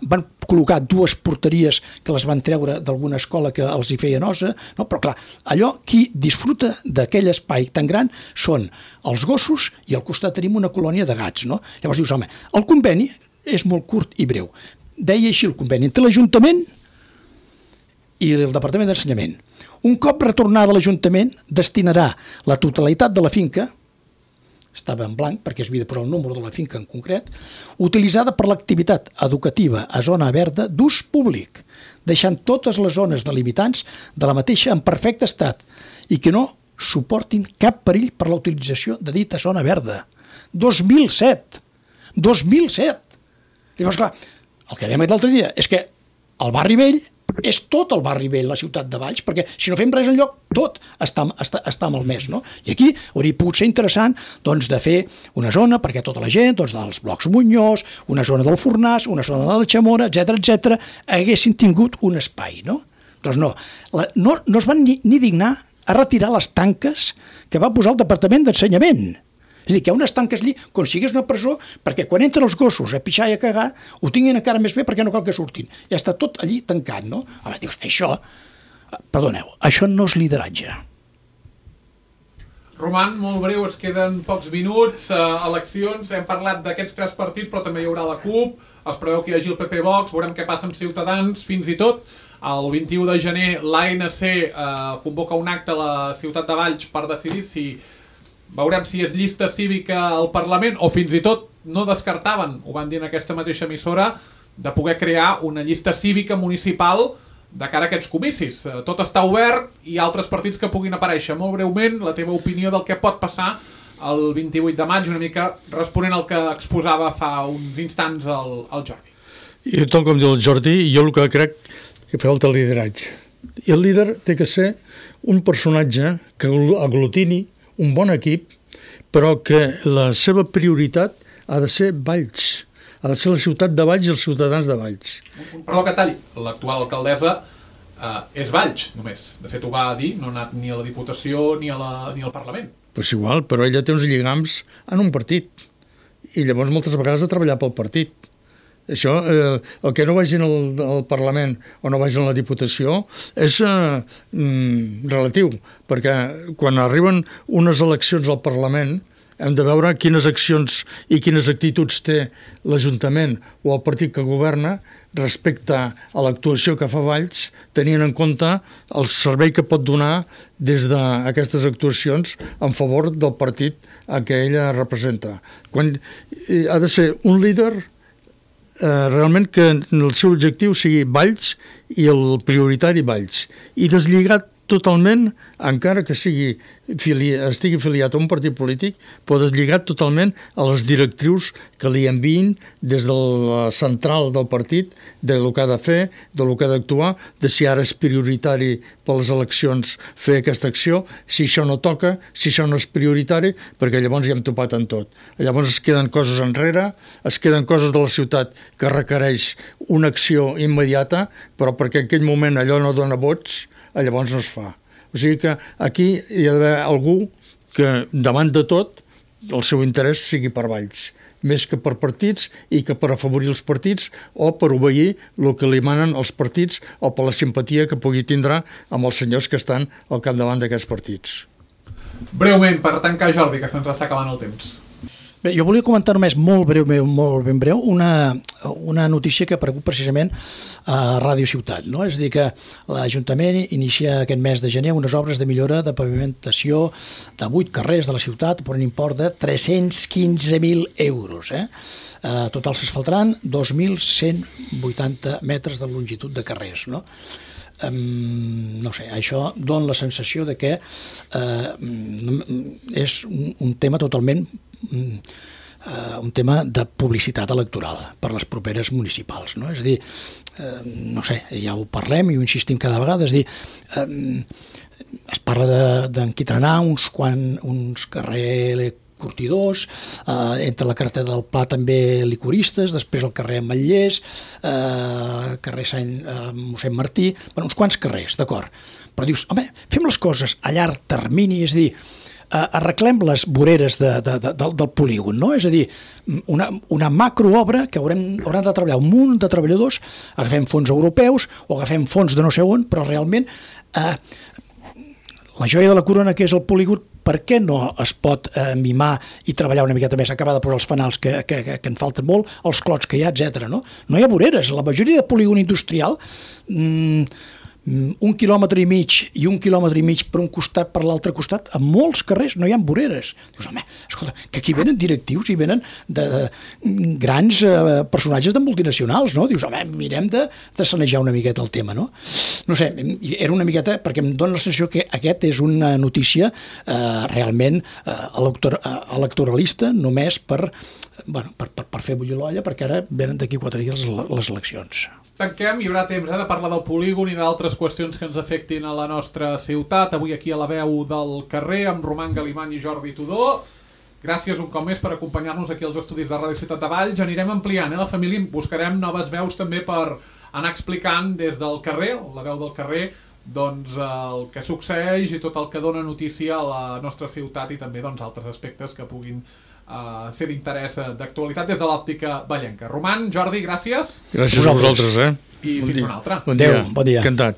van col·locar 2 porteries que les van treure d'alguna escola que els hi feia nosa, no? Però clar, allò, qui disfruta d'aquell espai tan gran són els gossos i al costat tenim una colònia de gats, no? Llavors dius, home, el conveni és molt curt i breu. Deia així el conveni entre l'Ajuntament i el Departament d'Ensenyament. Un cop retornada a l'Ajuntament, destinarà la totalitat de la finca, estava en blanc perquè es havia de posar el número de la finca en concret, utilitzada per l'activitat educativa a zona verda d'ús públic, deixant totes les zones delimitants de la mateixa en perfecte estat i que no suportin cap perill per la utilització de dita zona verda. 2007! 2007! Llavors, clar, el que dèiem l'altre dia és que el barri vell és tot el barri vell, la ciutat de Valls, perquè si no fem res enlloc, tot està malmès, no? I aquí hauria pogut ser interessant doncs, de fer una zona perquè tota la gent doncs, dels blocs Muñoz, una zona del Fornàs, una zona de la Chamora, etc haguessin tingut un espai, no? Doncs no es van ni dignar a retirar les tanques que va posar el Departament d'Ensenyament. És a dir, que hi ha unes tanques allí com si hagués una presó perquè quan entren els gossos a pixar i a cagar ho tinguin encara més bé perquè no cal que surtin. Ja està tot allí tancat, no? Home, dius, això, perdoneu, això no és lideratge. Roman, molt breu, ens queden pocs minuts, eleccions, hem parlat d'aquests 3 partits, però també hi haurà la CUP, es preveu que hi hagi el PP Vox, veurem què passa amb Ciutadans, fins i tot el 21 de gener l'ANC convoca un acte a la ciutat de Valls per decidir si veurem si és llista cívica al Parlament, o fins i tot no descartaven, ho van dir en aquesta mateixa emissora, de poder crear una llista cívica municipal de cara a aquests comicis. Tot està obert i altres partits que puguin aparèixer. Molt breument, la teva opinió del que pot passar el 28 de maig, una mica responent al que exposava fa uns instants el Jordi. I tal com diu el Jordi, jo el que crec que falta el lideratge. I el líder té que ser un personatge que aglutini un bon equip, però que la seva prioritat ha de ser Valls. Ha de ser la ciutat de Valls i els ciutadans de Valls. Perdó que talli, l'actual alcaldessa és Valls, només. De fet, ho va dir, no ha anat ni a la Diputació ni al Parlament. Pues igual, però ella té uns lligams en un partit. I llavors moltes vegades ha treballat pel partit. Això, el que no vagin al Parlament o no vagin a la Diputació és relatiu, perquè quan arriben unes eleccions al Parlament hem de veure quines accions i quines actituds té l'Ajuntament o el partit que governa respecte a l'actuació que fa Valls, tenint en compte el servei que pot donar des d'aquestes actuacions en favor del partit a què ella representa. Ha de ser un líder realment que el seu objectiu sigui Valls i el prioritari Valls, i deslligat totalment, encara que estigui afiliat a un partit polític, però deslligat totalment a les directrius que li enviïn des de la central del partit, del que ha de fer, del que ha d'actuar, de si ara és prioritari per les eleccions fer aquesta acció, si això no toca, si això no és prioritari, perquè llavors ja hem topat en tot. Llavors es queden coses enrere, es queden coses de la ciutat que requereix una acció immediata, però perquè en aquell moment allò no dona vots, llavors no es fa. O sigui que aquí hi ha d'haver algú que, davant de tot, el seu interès sigui per Valls, més que per partits i que per afavorir els partits o per obeir el que li manen els partits o per la simpatia que pugui tindre amb els senyors que estan al capdavant d'aquests partits. Breument, per tancar, Jordi, que se'ns està acabant el temps. Bé, jo volia comentar només molt ben breu una notícia que preocupa precisament a Ràdio Ciutat, no? És a dir, que l'Ajuntament inicia aquest mes de gener unes obres de millora de pavimentació de 8 carrers de la ciutat per un import de 315.000 euros. Total s'asfaltaran 2.180 metres de longitud de carrers, no? No sé, això dona la sensació de que és un tema totalment un tema de publicitat electoral per les properes municipals, no? És a dir, no sé, ja ho parlem i ho insistim cada vegada, és a dir, es parla d'enquitrenar uns carrer curtidors, entre la carretera del Pla també licoristes, després el carrer Ametllers, carrer Mossèn Martí, uns quants carrers, d'acord. Però dius, home, fem les coses a llarg termini, és a dir, arreglem les voreres del polígon, no? És a dir, una macroobra que hauran de treballar un munt de treballadors, agafem fons europeus o agafem fons de no sé on, però realment la joia de la corona que és el polígon, per què no es pot mimar i treballar una miqueta més, acabar de posar els fanals que en falten molt, els clots que hi ha, etc. No hi ha voreres. La majoria de polígon industrial, 1,5 quilòmetre i 1,5 quilòmetre per un costat, per l'altre costat, a molts carrers no hi ha voreres. Dius, home, escolta, que aquí venen directius i venen de grans personatges de multinacionals, no? Dius, home, mirem de sanejar una miqueta el tema, no? No sé, era una miqueta, perquè em dóna la sensació que aquest és una notícia realment electoralista, només per fer bullir l'olla, perquè ara venen d'aquí 4 dies les eleccions. Tanquem, hi haurà temps de parlar del polígon i d'altres qüestions que ens afectin a la nostra ciutat. Avui aquí a la veu del carrer, amb Roman Galimany i Jordi Tudó. Gràcies un cop més per acompanyar-nos aquí als estudis de Ràdio Ciutat de Valls. Anirem ampliant, la família, buscarem noves veus també per anar explicant des del carrer, la veu del carrer, doncs el que succeeix i tot el que dona notícia a la nostra ciutat i també doncs altres aspectes que puguin ser d'interès d'actualitat des de l'òptica vallenca. Roman, Jordi, gràcies. Gràcies a vosaltres, I fins una altra. Bon dia. Bon dia. Encantat.